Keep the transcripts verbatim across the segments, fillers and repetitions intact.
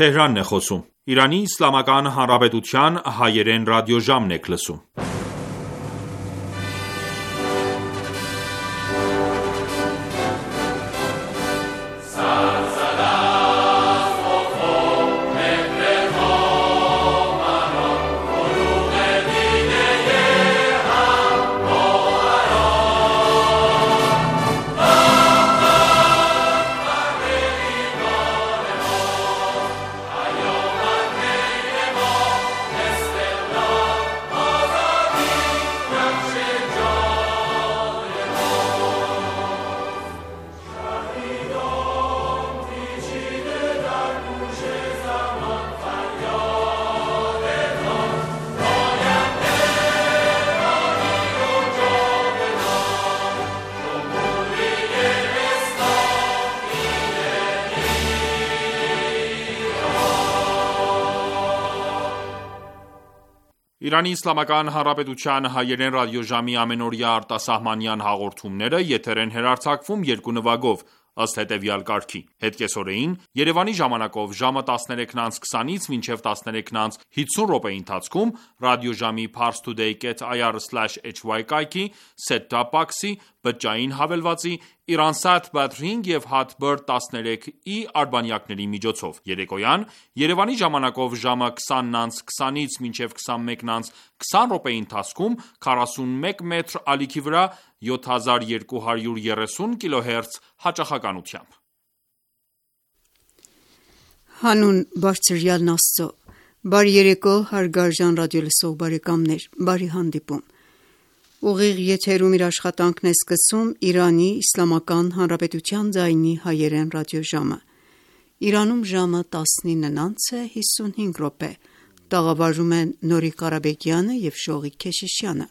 Թեհրանն է խոսում։ Իրանի Իսլամական Հանրապետության հայերեն ռադիոժամն եք լսում։ Իրանի Իսլամական Հանրապետության հայերեն ռադիոժամի ամենօրյա արտասահմանյան հաղորդումները եթեր են հեռարձակվում երկու նվագով, ըստ հետևյալ կարգի: Հետկեսօրեին Երևանի ժամանակով ժամը տասներեքն անց քսանից մինչև տասներեքն անց հիսուն րոպեի ընթացքում ռադիոժամի parstoday dot i r slash h y կայքի, set-top box-ի, բջջային հավելվածի, Iransat Batring և Hotbird տասներեք i արբանյակների միջոցով: Երեկոյան Երևանի ժամանակով ժամը քսանն անց քսանից մինչև քսանմեկն անց քսան րոպեի ընթացքում քառասունմեկ մետր ալիքի վրա յոթ հազար երկու հարյուր երեսուն կիլոհերց հաճախականությամբ: Հանուն Բարձրյալն Աստծո, բարի երեկո հարգարժան ռադիոլսող բարեկամներ, բարի հանդիպում: Ուղիղ եթերում իր աշխատանքն է սկսում Իրանի Իսլամական Հանրապետության ձայնի հայերեն ռադիոժամը: Իրանում ժամը տասնինն անց է հիսունհինգ րոպե: Տաղավարում են Նորիկ Ղարաբեկյանը և Շողիկ Քեշիշյանը: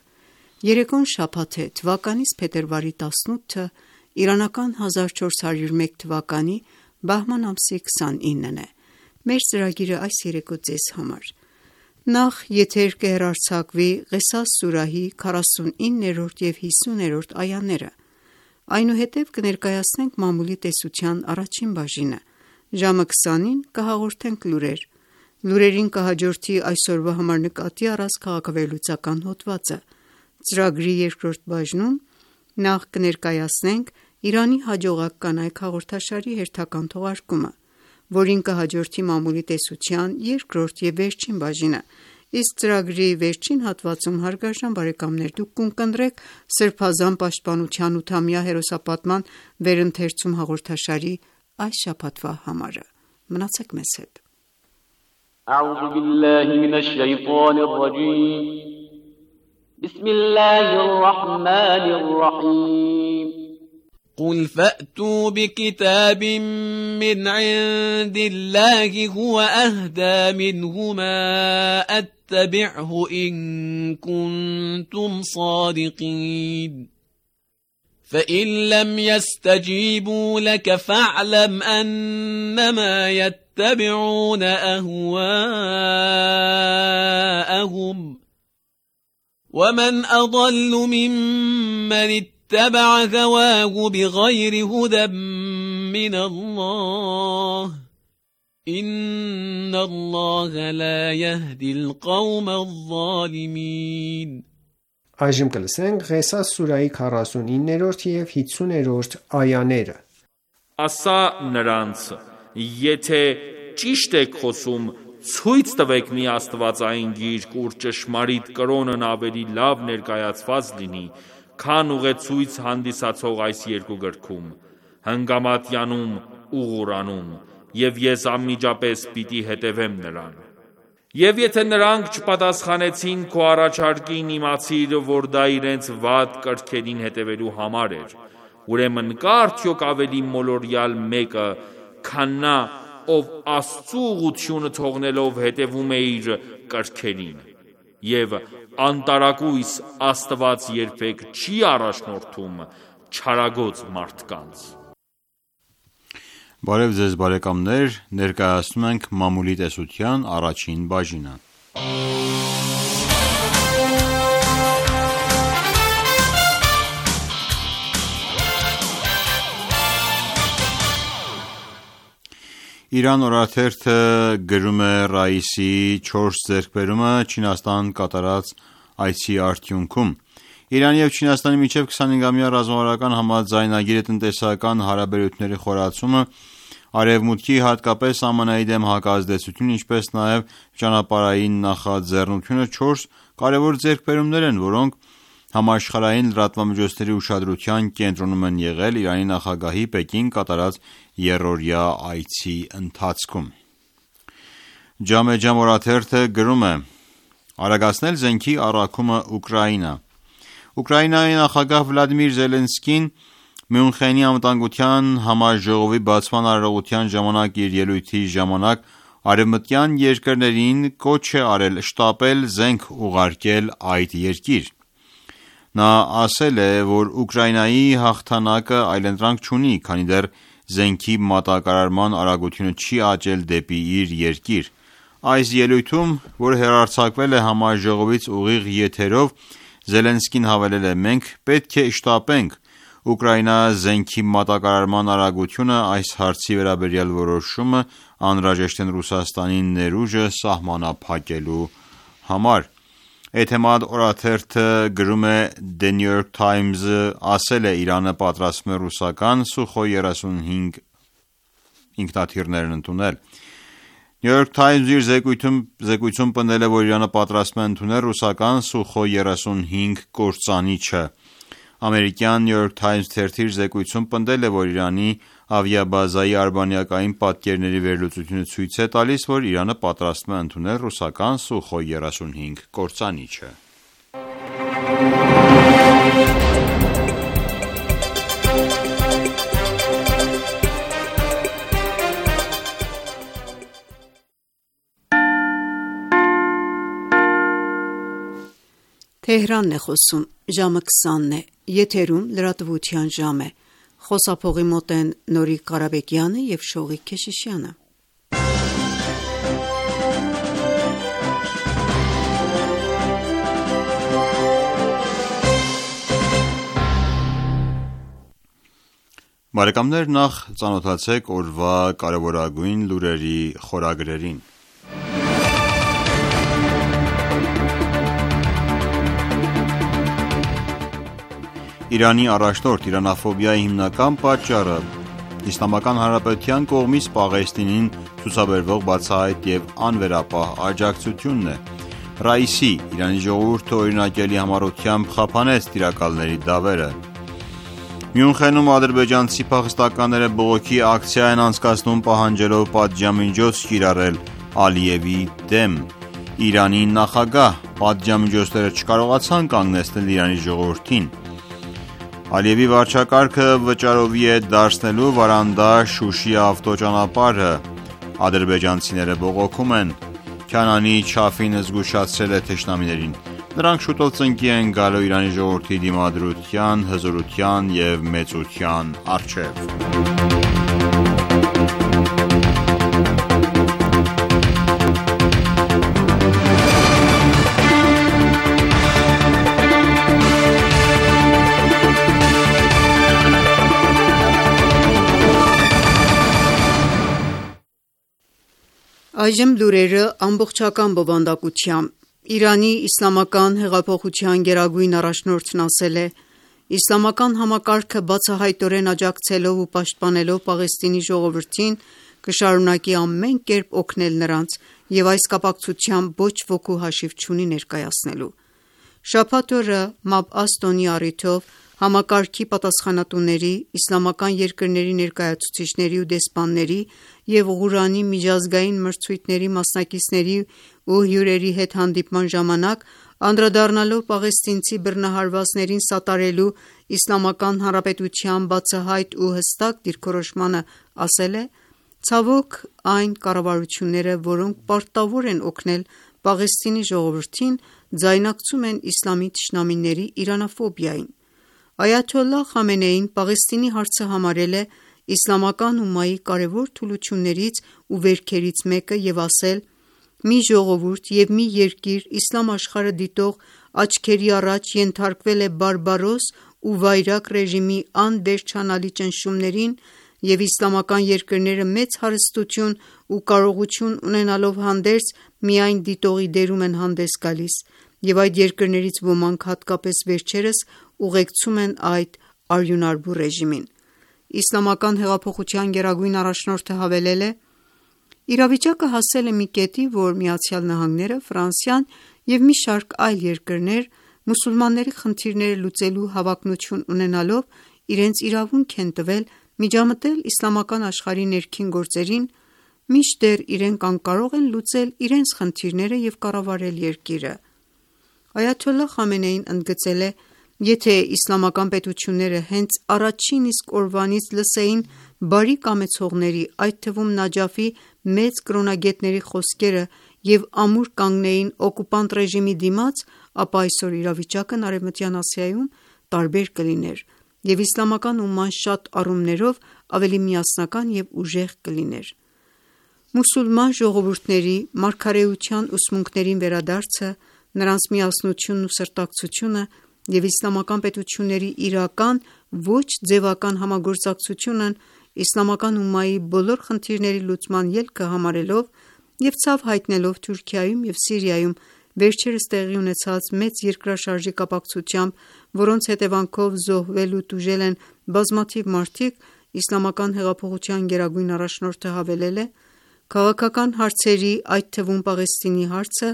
Երեկոն շաբաթ է, թվականիս փետրվարի տասնութը, իրանական հազար չորս հարյուր մեկ թվականի բահման ամսի քսանինն է: Մեր ծրագիրը այս երեկո ձեզ համար: Նախ եթեր կհեռարձակվի Ղեսաս սուրահի քառասունիններորդ և հիսուներորդ այաները: Այնուհետև կներկայացնենք մամուլի տեսության առաջին բաժինը: Ժամը քսանին կհաղորդենք լուրեր: Լուրերին կհաջորդի այսօրվա համար նկատի առած քաղաքավերլուծական հոդվածը: Ծրագրի երկրորդ բաժնում նախ կներկայացնենք «Իրանի հաջողակ կանայք» հաղորդաշարի հերթական թողարկումը, որին կհաջորդի մամուլի տեսության երկրորդ և վերջին բաժինը, իսկ ծրագրի վերջին հատվածում դուք կընտրեք Սրբազան պաշտպանության ութամյա հերոսապատման վերընթերցում հաղորդաշարի այս շաբաթվա համարը: Մնացեք մեզ հետ: قل فأتوا بكتاب من عند الله هو أهدى منهما أتبعه إن كنتم صادقين فإن لم يستجيبوا لك فاعلم أنما يتبعون أهواءهم ومن أضل ممن اتبع هواه بغير هدى من الله إن الله لا يهدي القوم الظالمين Այժմ կլսենք Ղեսաս սուրահի քառասունիններորդ և հիսուներորդ այաները: Ասա նրանց. եթե ճիշտ եք խոսում, ցույց տվեք մի աստվածային գիրք, ուր ճշմարիտ կրոնն ավելի լավ ներկայացված լինի, քան ուղեցույց հանդիսացող այս երկու գրքում, Հնգամատյանում ու Ղուրանում, և ես անմիջապես պիտի հետևեմ նրան: Եվ եթե նրանք չպատասխանեցին քո առաջարկին, իմացիր, որ դա իրենց վատ կրքերին հետևելու համար էր: Ուրեմն կա՞ արդյոք ավելի մոլորյալ մեկը, քան նա, ով Աստծու ուղղությունը թողնելով հետևում է իր կրքերին: Եվ անտարակույս Աստված երբեք չի առաջնորդում չարագոծ մարդկանց: Բարև ձեզ բարեկամներ, ներկայացնում ենք մամուլի տեսության առաջին բաժինը: Իրան օրաթերթը գրում է Ռայիսի չորս ձեռքբերումը Չինաստան կատարած այցի արդյունքում։ Իրանի և Չինաստանի միջև քսանհինգամյա ռազմավարական համաձայնագիրը տնտեսական հարաբերությունների խորացումը, Արևմուտքի, հատկապես ԱՄՆ-ի դեմ հակազդեցություն, ինչպես նաև ճանապարհային նախաձեռնությունը չորս կարևոր ձեռքբերումներ են, որոնք համաշխարհային լրատվամիջոցների ուշադրության կենտրոնում են եղել Իրանի նախագահի Պեկին կատարած եռօրյա այցի ընթացքում։ Ջամե Ջամ օրաթերթը գրում է. «Արագացնել զենքի առաքումը Ուկրաինա»։ Ուկրաինայի նախագահ Վլադիմիր Զելենսկին Մյունխենի անվտանգության համաժողովի բացման արարողության ժամանակ իր ելույթի ժամանակ արևմտյան երկրներին կոչ է արել շտապել զենք ուղարկել այդ երկիր։ Նա ասել է, որ Ուկրաինայի հաղթանակը այլընտրանք չունի, քանի դեռ զենքի մատակարարման արագությունը չի աճել դեպի իր երկիր։ Այս ելույթում, որ հեռարձակվել է համաժողովից ուղիղ եթերով, Զելենսկին հավելել է. «Մենք պետք է շտապենք Ուկրաինա զենքի մատակարարման արագությունը այս հարցի վերաբերյալ որոշումը անհրաժեշտ են Ռուսաստանի ներուժը սահմանափակելու համար»։ Էթեմադ օրաթերթը գրում է. The New York Times-ը ասել է Իրանը պատրաստվում է ռուսական Սուխոյ երեսունհինգ ինքնաթիռներն ընդունել։ New York Times-ը իր զեկույցում պնդել է, որ Իրանը պատրաստվում է ընդունել ռուսական Սուխոյ երեսունհինգ կործանիչը։ Ամերիկյան New York Times թերթի իր զեկույցում պնդել է, որ Իրանի ավիաբազայի արբանյակային պատկերների վերլուծությունը ցույց է տալիս, որ Իրանը պատրաստվում է ընդունել ռուսական Սուխոյ երեսունհինգ կործանիչը։ Թեհրանն է խոսում, ժամը քսանն է, եթերում լրատվության ժամ է, խոսափողի մոտ են Նորիկ Ղարաբեկյանը և Շողիկ Քեշիշյանը։ Բարեկամներ, նախ ծանոթացեք օրվա կարևորագույն լուրերի խորագրերին։ Իրանի առաջնորդ իրանաֆոբիայի հիմնական պատճառը Իսլամական Հանրապետության կողմից Պաղեստինին ցուցաբերվող բացահայտ և անվերապահ աջակցությունն է։ Ռայիսի Իրանի ժողովուրդը օրինակելի համառությամբ խափանեց տիրակալների դավերը։ Մյունխենում ադրբեջանցի փախստականները բողոքի ակցիա են անցկացնում պահանջելով պատժամիջոց կիրառել Ալիևի դեմ։ Իրանի նախագահ պատժամիջոցները չկարողացան կանգնեցնել Իրանի ժողովրդին։ Ալիևի վարչակարգը վճարովի է դարձնելու Վարանդա-Շուշի ավտոճանապարհը։ Ադրբեջանցիները բողոքում են։ Քանանի Չաֆին զգուշացրել է թշնամիներին։ Նրանք շուտով ծնկի են գալու Իրանի ժողովրդի դիմադրության, հզորության և մեծության առջև։ Այժմ լուրերը ամբողջական բովանդակությամբ։ Իրանի իսլամական հեղափոխության գերագույն առաջնորդն ասել է. «Իսլամական համակարգը բացահայտորեն աջակցելով ու պաշտպանելով Պաղեստինի ժողովրդին կշարունակի ամեն կերպ օգնել նրանց և այս կապակցությամբ ոչ ոքու հաշիվ չունի ներկայացնելու»։ Շաբաթ օրը Մաբ'աս տոնի առիթով համակարգի պատասխանատուների, իսլամական երկրների ներկայացուցիչների ու դեսպանների և Ղուրանի միջազգային մրցույթների մասնակիցների ու հյուրերի հետ հանդիպման ժամանակ, անդրադառնալով պաղեստինցի բռնահարվածներին սատարելու Իսլամական Հանրապետության բացահայտ ու հստակ դիրքորոշմանը, ասել է. «Ցավոք, այն կառավարությունները, որոնք պարտավոր են օգնել Պաղեստինի ժողովրդին, ձայնակցում են իսլամի թշնամիների իրանաֆոբիային»։ Այաթոլլահ Խամենեին Պաղեստինի հարցը համարել է իսլամական ումմայի կարևոր թուլություններից ու վերքերից մեկը և ասել. «Մի ժողովուրդ և մի երկիր իսլամ աշխարհը դիտող աչքերի առաջ ենթարկվել է բարբարոս ու վայրագ ռեժիմի անվերջանալի ճնշումներին, և իսլամական երկրները մեծ հարստություն ու կարողություն ունենալով հանդերձ, միայն դիտողի դերում են հանդես գալիս, և այդ երկրներից ոմանք, հատկապես վերջերս, ուղեկցում են այդ արյունարբու ռեժիմին: Իսլամական հեղափոխության գերագույն առաջնորդը հավելել է. «Իրավիճակը հասել է մի կետի, որ ԱՄՆ-ը, Ֆրանսիան և մի շարք այլ երկրներ, մուսուլմանների խնդիրները լուծելու հավակնություն ունենալով, իրենց իրավունք են տվել միջամտել իսլամական աշխարհի ներքին գործերին, մինչդեռ իրենք անկարող են լուծել իրենց խնդիրները և կառավարել երկիրը»: Այաթոլլահ Խամենեին ընդգծել է. «Եթե իսլամական պետությունները հենց առաջին իսկ օրվանից լսեին բարի կամեցողների, այդ թվում Նաջաֆի մեծ կրոնագետների խոսքերը և ամուր կանգնեին օկուպանտ ռեժիմի դիմաց, ապա այսօր իրավիճակն Արևմտյան Ասիայում տարբեր կլիներ, և իսլամական ումման շատ առումներով ավելի միասնական և ուժեղ կլիներ»: Մուսուլման ժողովուրդների մարգարեության ուսմունքներին վերադարձը, նրանց միասնությունն ու սրտակցությունը և իսլամական պետությունների իրական, ոչ ձևական համագործակցությունն իսլամական ումմայի բոլոր խնդիրների լուծման ելքը համարելով և ցավ հայտնելով Թուրքիայում և Սիրիայում վերջերս տեղի ունեցած մեծ երկրաշարժի կապակցությամբ, որոնց հետևանքով զոհվել ու տուժել են բազմաթիվ մարդիկ, Իսլամական հեղափոխության գերագույն առաջնորդը հավելել է. «Քաղաքական հարցերի, այդ թվում Պաղեստինի հարցը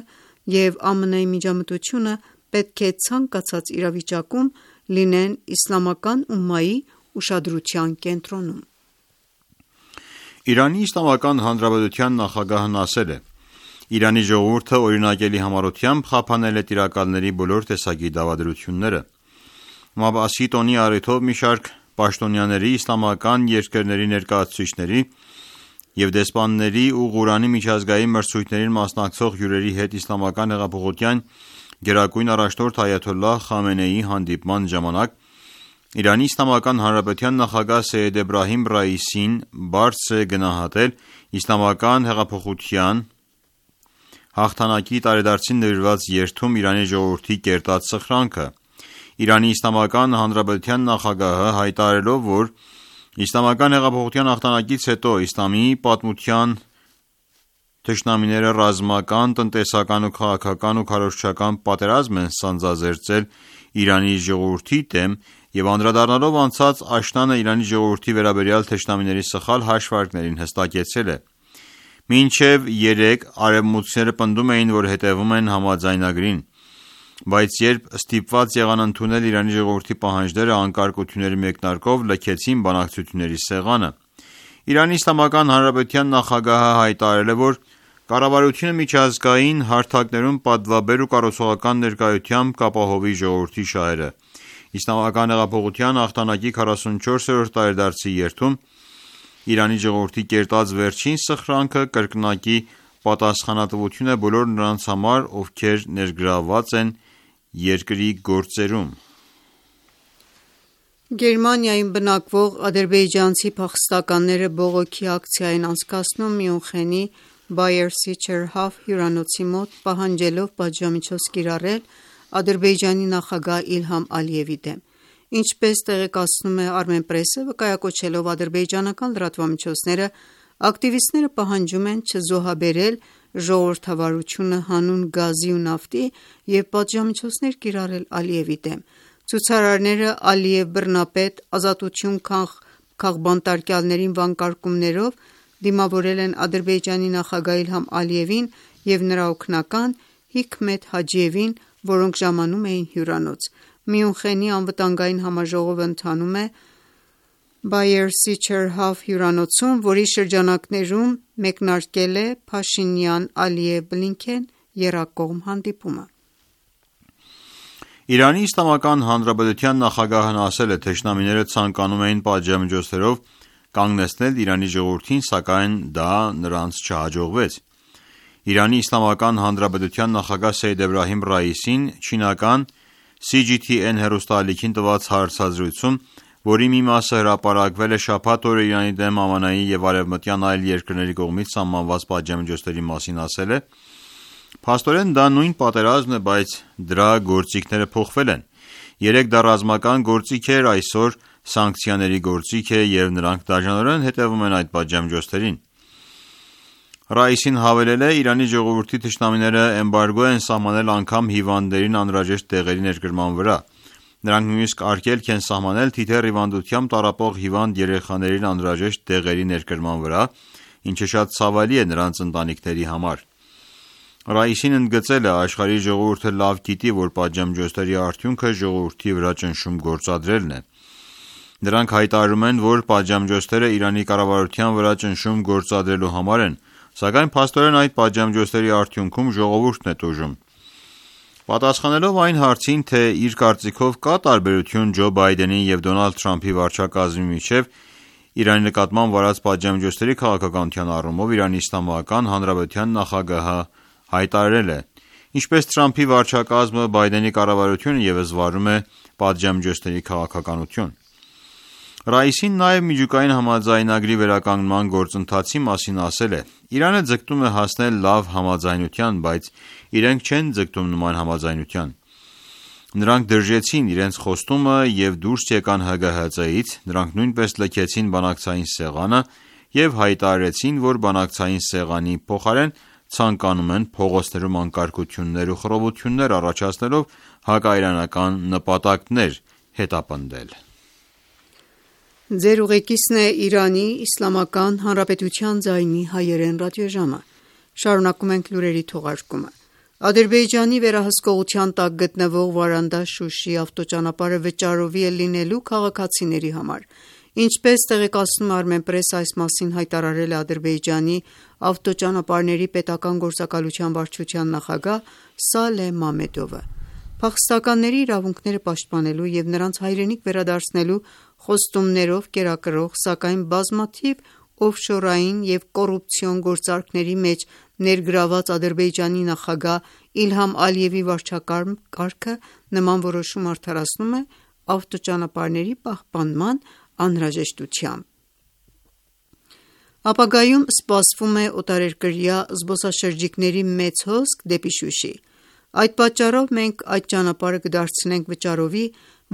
և ԱՄՆ-ի միջամտությունը պետք է ցանկացած իրավիճակում լինեն իսլամական ումմայի ուշադրության կենտրոնում»: Իրանի Իսլամական Հանրապետության նախագահն ասել է. «Իրանի ժողովուրդը օրինակելի համառությամբ խափանել է տիրակալների բոլոր տեսակի դավադրությունները»: Մաբասի տոնի առիթով մի շարք պաշտոնյաների, իսլամական երկրների ներկայացուցիչների և դեսպանների ու Ղուրանի միջազգային մրցույթներին մասնակցող հյուրերի հետ Իսլամական հեղափոխության գերագույն առաջնորդ Այաթոլլահ Խամենեիի հանդիպման ժամանակ Իրանի Իսլամական Հանրապետության նախագահ Սեյեդ Էբրահիմ Ռայիսին բարձր է գնահատել Իսլամական հեղափոխության հաղթանակի տարեդարձին նվիրված երթում Իրանի ժողովրդի կերտած սխրանքը: Իրանի Իսլամական Հանրապետության նախագահը հայտարարելով, որ Իսլամական հեղափոխության հաղթանակից հետո իսլամի պատմության թշնամիները ռազմական, տնտեսական ու քաղաքական ու քարոզչական պատերազմ են սանձազերծել Իրանի ժողովրդի դեմ և անդրադառնալով անցած աշնանը Իրանի ժողովրդի վերաբերյալ թշնամիների սխալ հաշվարկներին հստակեցրել է. «Մինչև երեկ արևմուտքցիները պնդում էին, որ հետևում են համաձայնագրին, բայց երբ ստիպված եղան ընդունել Իրանի ժողովրդի պահանջները, անկարգությունների մեկնարկով լքեցին բանակցությունների սեղանը»: Իրանի Իսլամական Հանրապետության նախագահը հայտարարել է, որ կառավարությունը միջազգային հարթակներում պատվաբեր ու կառուցողական ներկայությամբ կապահովի ժողովրդի շահերը: Իսլամական հեղափոխության հաղթանակի քառասունչորսերորդ տարեդարձի երթում Իրանի ժողովրդի կերտած վերջին սխրանքը կրկնակի պատասխանատվություն է բոլոր նրանց համար, ովքեր ներգրավված են երկրի գործերում: Գերմանիայում բնակվող ադրբեջանցի փախստականները բողոքի ակցիա են անցկացնում Մյունխենի Bayer-Sicherhof հյուրանոցի մոտ, պահանջելով պատժամիջոց կիրառել Ադրբեջանի նախագահ Իլհամ Ալիևի դեմ: Ինչպես տեղեկացնում է Armenpress-ը, վկայակոչելով ադրբեջանական լրատվամիջոցները, ակտիվիստները պահանջում են չզոհաբերել ժողովրդավարությունը հանուն գազի ու նավթի և պատժամիջոցներ կիրառել Ալիևի դեմ: Ցուցարարները «Ալիև բռնապետ, ազատություն քաղբանտարկյալներին» վանկարկումներով դիմավորել են Ադրբեջանի նախագահ Իլհամ Ալիևին և նրա օգնական Հիքմեթ Հաջիևին, որոնք ժամանում էին հյուրանոց: Մյունխենի անվտանգային համաժողովը ընթանում է Bayer-Sicherhof հյուրանոցում, որի շրջանակներում մեկնարկել է Փաշինյան-Ալիև-Բլինքեն եռակողմ հանդիպումը: Իրանի Իսլամական Հանրապետության նախագահն ասել է. «Թշնամիները ցանկանում էին պատժամիջոցներով կանգնեցնել Իրանի ժողովրդին, սակայն դա նրանց չհաջողվեց»: Իրանի Իսլամական Հանրապետության նախագահ Սեյեդ Էբրահիմ Ռայիսին չինական Սի Ջի Թի Էն հեռուստաալիքին տված հարցազրույցում, որի մի մասը հրապարակվել է շաբաթ օրը Իրանի դեմ Ամերիկայի և արևմտյան այլ երկրների կողմից սահմանված պատժամիջոցների մասին ասել է. «Փաստորեն դա նույն պատերազմն է, բայց դրա գործիքները փոխվել են: Երեկ դա ռազմական գործիք էր, այսօր սանկցիաների գործիք է և նրանք դաժանորեն հետևում են այդ պատժամիջոցներին։ Ռաիսին հավելել է. «Իրանի ժողովրդի թշնամիները էմբարգո են սահմանել անգամ հիվանդներին անհրաժեշտ դեղերի ներկրման վրա։ Նրանք նույնիսկ արգելք են սահմանել թիթեռ հիվանդությամբ տառապող հիվանդ երեխաներին անհրաժեշտ դեղերի ներկրման վրա, ինչը շատ ցավալի է նրանց ընտանիքների համար»։ Ռաիսին ընդգծել է. «Աշխարհի ժողովուրդը լավ գիտի, որ պատժամիջոցների արդյունքը ժողովրդի վրա ճնշում գործադրելն է։ Նրանք հայտարարում են, որ պատժամիջոցները Իրանի կառավարության վրա ճնշում գործադրելու համար են, սակայն փաստորեն այդ պատժամիջոցների արդյունքում ժողովուրդն է տուժում»։ Պատասխանելով այն հարցին, թե իր կարծիքով կա տարբերություն Ջո Բայդենի և Դոնալդ Թրամփի վարչակազմի միջև Իրանի նկատմամբ վարած պատժամիջոցների քաղաքականության առումով, Իրանի Իսլամական Հանրապետության նախագահը հայտարարել է. «Ինչպես Թրամփի վարչակազմը, Բայդենի կառավարությունը ևս վարում է պատժամիջոցների քաղաքականություն»։ Ռաիսին նաև միջուկային համաձայնագրի վերականգնման գործընթացի մասին ասել է. «Իրանը ձգտում է հասնել լավ համաձայնության, բայց իրենք չեն ձգտում նման համաձայնության։ Նրանք դրժեցին իրենց խոստումը և դուրս եկան Հ Գ Հ Ծ-ից, նրանք նույնպես լքեցին բանակցային սեղանը և հայտարարեցին, որ բանակցային սեղանի փոխարեն ցանկանում են փողոցներում անկարգություններ ու խռովություններ առաջացնելով հակաիրանական նպատակներ հետապնդել»։ Ձեր ուղեկիցն է Իրանի Իսլամական Հանրապետության ձայնի հայերեն ռադիոժամը։ Շարունակում ենք լուրերի թողարկումը։ Ադրբեջանի վերահսկողության տակ գտնվող Վարանդա-Շուշի ավտոճանապարհը վճարովի է լինելու քաղաքացիների համար։ Ինչպես տեղեկացնում է Armenpress, այս մասին հայտարարել է Ադրբեջանի ավտոճանապարհների պետական գործակալության վարչության նախագահ Սալեհ Մամեդովը։ Փախստականների իրավունքները պաշտպանելու և նրանց հայրենիք վերադարձնելու խոստումներով կերակրող, սակայն բազմաթիվ օֆշորային և կոռուպցիոն գործարքների մեջ ներգրավված Ադրբեջանի նախագահ Իլհամ Ալիևի վարչակարգը նման որոշում արդարացնում է ավտոճանապարհների պահպանման անհրաժեշտությամբ։ Ապագայում սպասվում է օտարերկրյա զբոսաշրջիկների մեծ հոսք դեպի Շուշի։ Այդ պատճառով մենք այդ ճանապարհը կդարձնենք վճարովի,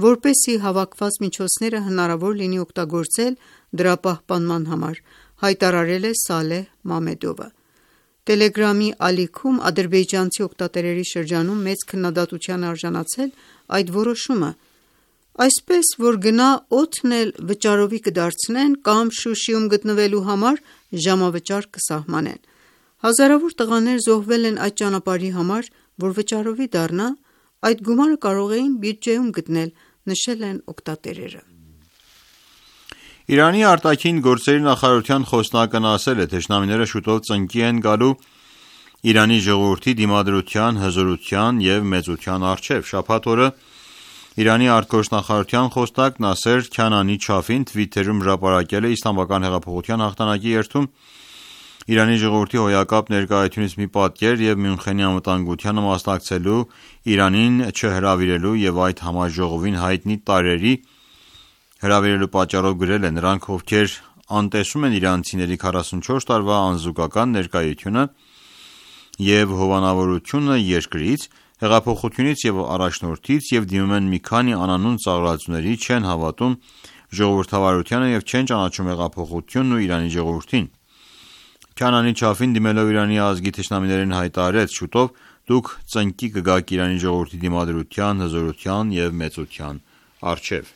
որպեսզի հավաքված միջոցները հնարավոր լինի օգտագործել դրա պահպանման համար, հայտարարել է Սալեհ Մամեդովը։ Տելեգրամի ալիքում ադրբեջանցի օգտատերերի շրջանում մեծ քննադատության է արժանացել այդ որոշումը, այսպես որ գնա օդն էլ վճարովի կդարձնեն կամ Շուշիում գտնվելու համար ժամավճար կսահմանեն։ Հազարավոր տղաներ զոհվել են այդ ճանապարհի համար, որ վճարովի դառնա, այդ գումարը կարող էին բյուջեում գտնել, նշել են օգտատերերը։ Իրանի արտաքին գործերի նախարարության խոսնակն ասել է. «Թշնամիները շուտով ծնկի են գալու Իրանի ժողովրդի դիմադրության, հզորության և մեծության առջև»։ Շաբաթ օրը Իրանի արտգործնախարարության խոսնակ Նասեր Քանանի Չաֆին Twitter-ում հրապարակել է Իսլամական հեղափոխության հաղթանակի երթում Իրանի ժողովրդի հոյակապ ներկայությունից մի պատկեր և Մյունխենի անվտանգությանը մասնակցելու, Իրանին չհրավիրելու և այդ համաժողովին հայտնի տարրերի հրավիրելու պատճառով գրել է. «Նրանք, ովքեր անտեսում են իրանցիների քառասունչորս տարվա անզուգական ներկայությունը և հովանավորությունը երկրից, հեղափոխությունից և առաջնորդից և դիմում են մի քանի անանուն ծաղրածուների, չեն հավատում ժողովրդավարությանը և չեն ճանաչում հեղափոխությունն ու Իրանի ժողովրդին»։ Քանանի Չաֆին դիմելով Իրանի ազգի թշնամիներին հայտարարեց. «Շուտով դուք ծնկի կգաք Իրանի ժողովրդի դիմադրության, հզորության և մեծության առջև»։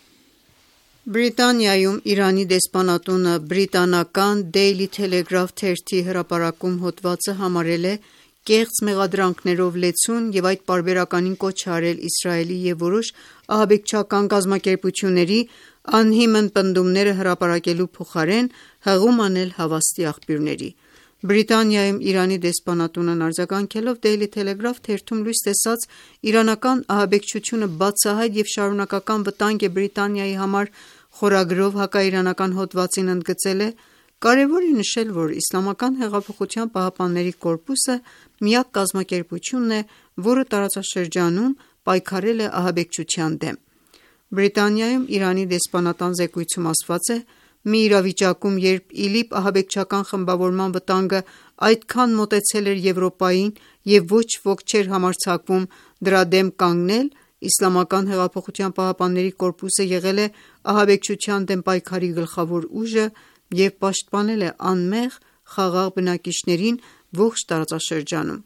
Բրիտանիայում Իրանի դեսպանատունը բրիտանական Daily Telegraph թերթի հրապարակում հոդվածը համարել է կեղծ մեղադրանքներով լեցուն և այդ պարբերականին կոչ է արել Իսրայելի և որոշ ահաբեկչական կազմակերպությունների անհիմն պնդումները հրապարակելու փոխարեն հղում անել հավաստի աղբյուրների։ Բրիտանիայում Իրանի դեսպանատունն արձագանքելով Daily Telegraph թերթում լույս տեսած իրանական ահաբեկչությունը բացահայտ և շարունակական վտանգ է Բրիտանիայի համար խորագրով հակաիրանական հոդվածին ընդգծել է. «Կարևոր է նշել, որ Իսլամական հեղափոխության պահապանների կորպուսը միակ կազմակերպությունն է, որը տարածաշրջանում պայքարել է ահաբեկչության դեմ»։ Բրիտանիայում Իրանի դեսպանատան զեկույցում ասված է. «Մի իրավիճակում, երբ ԻԼԻՊ ահաբեկչական խմբավորման վտանգը այդքան մոտեցել էր Եվրոպային և ոչ ոք չէր համարձակվում դրա դեմ կանգնել, Իսլամական հեղափոխության պահապանների կորպուսը եղել է ահաբեկչության դեմ պայքարի գլխավոր ուժը և պաշտպանել է անմեղ խաղաղ բնակիչներին ողջ տարածաշրջանում։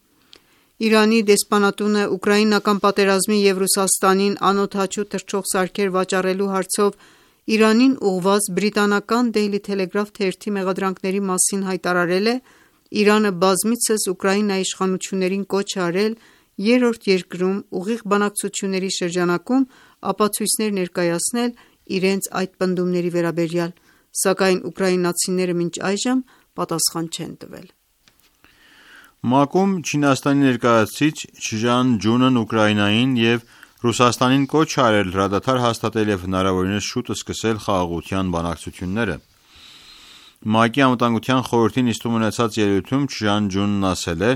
Իրանի դեսպանատունը ուկրաինական պատերազմի և Ռուսաստանին անօդաչու թռչող սարքեր վաճառելու հարցով Իրանին ուղղված բրիտանական Daily Telegraph թերթի մեղադրանքների մասին հայտարարել է. «Իրանը բազմիցս Ուկրաինայի իշխանություններին կոչ է արել երրորդ երկրում ուղիղ բանակցությունների շրջանակում ապացույցներ ներկայացնել իրենց այդ պնդումների վերաբերյալ, սակայն ուկրաինացիները մինչ այժմ պատասխան չեն տվել»։ ՄԱԿ-ում Չինաստանի ներկայացուցիչ Չժան Ջունն Ուկրաինային և Ռուսաստանին կոչ է արել հրադադար հաստատել և հնարավորինս շուտ սկսել խաղաղության բանակցությունները։ ՄԱԿ-ի Անվտանգության խորհրդի նիստում ունեցած ելույթում Չժան Ջունն ասել է.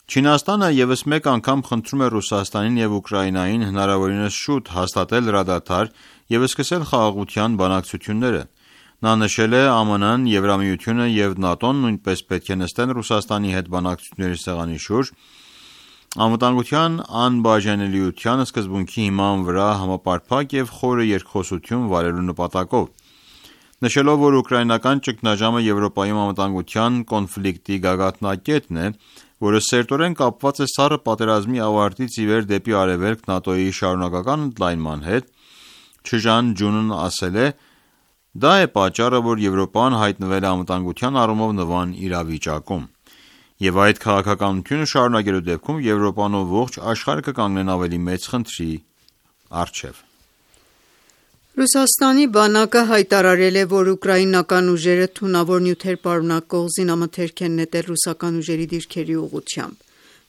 «Չինաստանը ևս մեկ անգամ խնդրում է Ռուսաստանին և Ուկրաինային հնարավորինս շուտ հաստատել հրադադար և սկսել խաղաղության բանակցությունները»։ Նա նշել է. «ԱՄՆ-ն, Եվրամիությունը և ՆԱՏՕ-ն նույնպես պետք է նստեն Ռուսաստանի հետ բանակցությունների սեղանի շուրջ՝ անվտանգության անբաժանելիության սկզբունքի հիման վրա համապարփակ և խորը երկխոսություն վարելու նպատակով»։ Նշելով, որ ուկրաինական ճգնաժամը Եվրոպայում անվտանգության կոնֆլիկտի գագաթնակետն է, որը սերտորեն կապված է սառը պատերազմի ավարտից ի վեր դեպի արևելք ՆԱՏՕ-ի շարունակական ընդլայնման հետ, Չժան Ջունն ասել է. «Դա է պատճառը, որ Եվրոպան հայտնվել է անվտանգության առումով նվան իրավիճակում, և այդ քաղաքականությունը շարունակելու դեպքում Եվրոպան ու ողջ աշխարհը կկանգնեն ավելի մեծ խնդրի առջև»։ Ռուսաստանի բանակը հայտարարել է, որ ուկրաինական ուժերը թունավոր նյութեր պարունակող զինամթերք են նետել ռուսական ուժերի դիրքերի ուղղությամբ։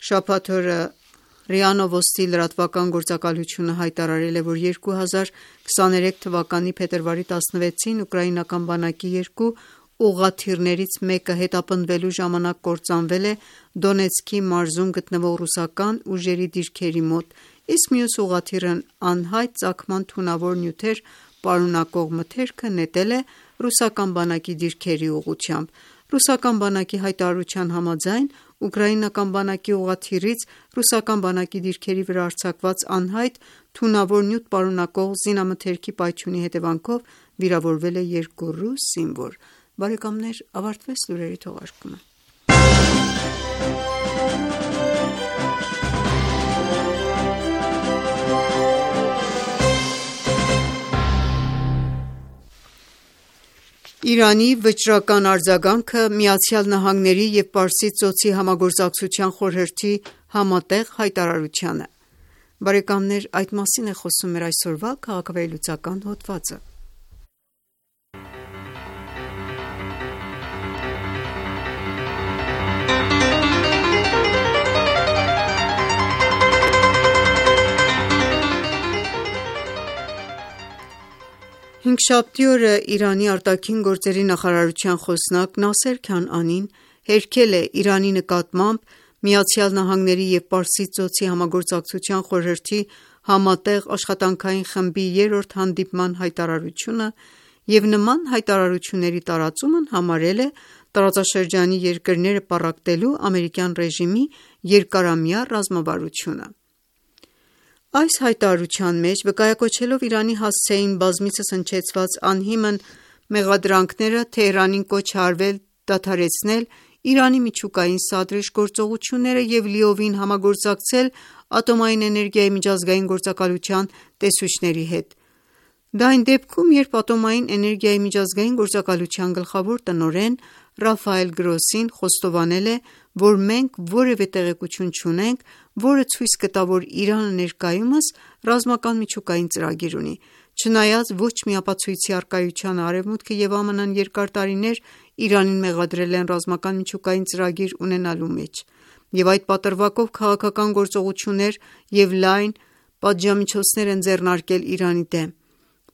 Շաբաթ օրը ՌԻԱ Նովոստի լրատվական գործակալությունը հայտարարել է, որ երկու հազար քսաներեք թվականի փետրվարի տասնվեցին ուկրաինական բանակի երկու ուղղաթիռներից մեկը հետապնդվելու ժամանակ կործանվել է Դոնեցկի մարզում գտնվող ռուսական ուժերի դիրքերի մոտ, իսկ մյուս ուղղաթիռն անհայտ ծագման թունավոր նյութեր պարունակող մթերքը նետել է ռուսական բանակի դիրքերի ուղղությամբ։ Ռուսական բանակի հայտարարության համաձայն, ուկրաինական բանակի ուղղաթիռից ռուսական բանակի դիրքերի վրա արձակված անհայտ թունավոր նյութ պարունակող զինամթերքի պայթյունի հետևանքով վիրավորվել է երկու ռուս զինվոր։ Բարեկամներ ավարտվեց լուրերի թողարկումը։ Իրանի վճռական արձագանքը ԱՄՆ-ի և Պարսից ծոցի համագործակցության խորհրդի համատեղ հայտարարությանը։ Բարեկամներ այդ մասին է խոսում մեր այսօրվա քաղաքավեհլուծական հոդվածը։ Հինգշաբթի օրը Իրանի արտաքին գործերի նախարարության խոսնակ Նասեր Քանանին հերքել է Իրանի նկատմամբ ԱՄՆ-ի և Պարսից ծոցի համագործակցության խորհրդի համատեղ աշխատանքային խմբի երրորդ հանդիպման հայտարարությունը և նման հայտարարությունների տարածումն համարել է տարածաշրջանի երկրները պառակտելու ամերիկյան ռեժիմի երկարամյա ռազմավարությունը։ Այս հայտարարության մեջ, վկայակոչելով Իրանի հասցեին բազմիցս հնչեցված անհիմն մեղադրանքները, Թեհրանին կոչ է արվել դադարեցնել Իրանի միջուկային սադրիչ գործողությունները և լիովին համագործակցել Ատոմային էներգիայի միջազգային գործակալության տեսուչների հետ։ Դա այն դեպքում, երբ Ատոմային էներգիայի միջազգային գործակալության գլխավոր տնօրեն Ռաֆայել Գրոսին խոստովանել է, որ մենք որևէ տեղեկություն չունենք, որը ցույց կտա, որ Իրանը ներկայումս ռազմական միջուկային ծրագիր ունի։ Չնայած ոչ մի ապացույցի առկայությանը, Արևմուտքը և ԱՄՆ-ն երկար տարիներ Իրանին մեղադրել են ռազմական միջուկային ծրագիր ունենալու մեջ, և այդ պատրվակով քաղաքական գործողություններ և լայն պատժամիջոցներ են ձեռնարկել Իրանի դեմ։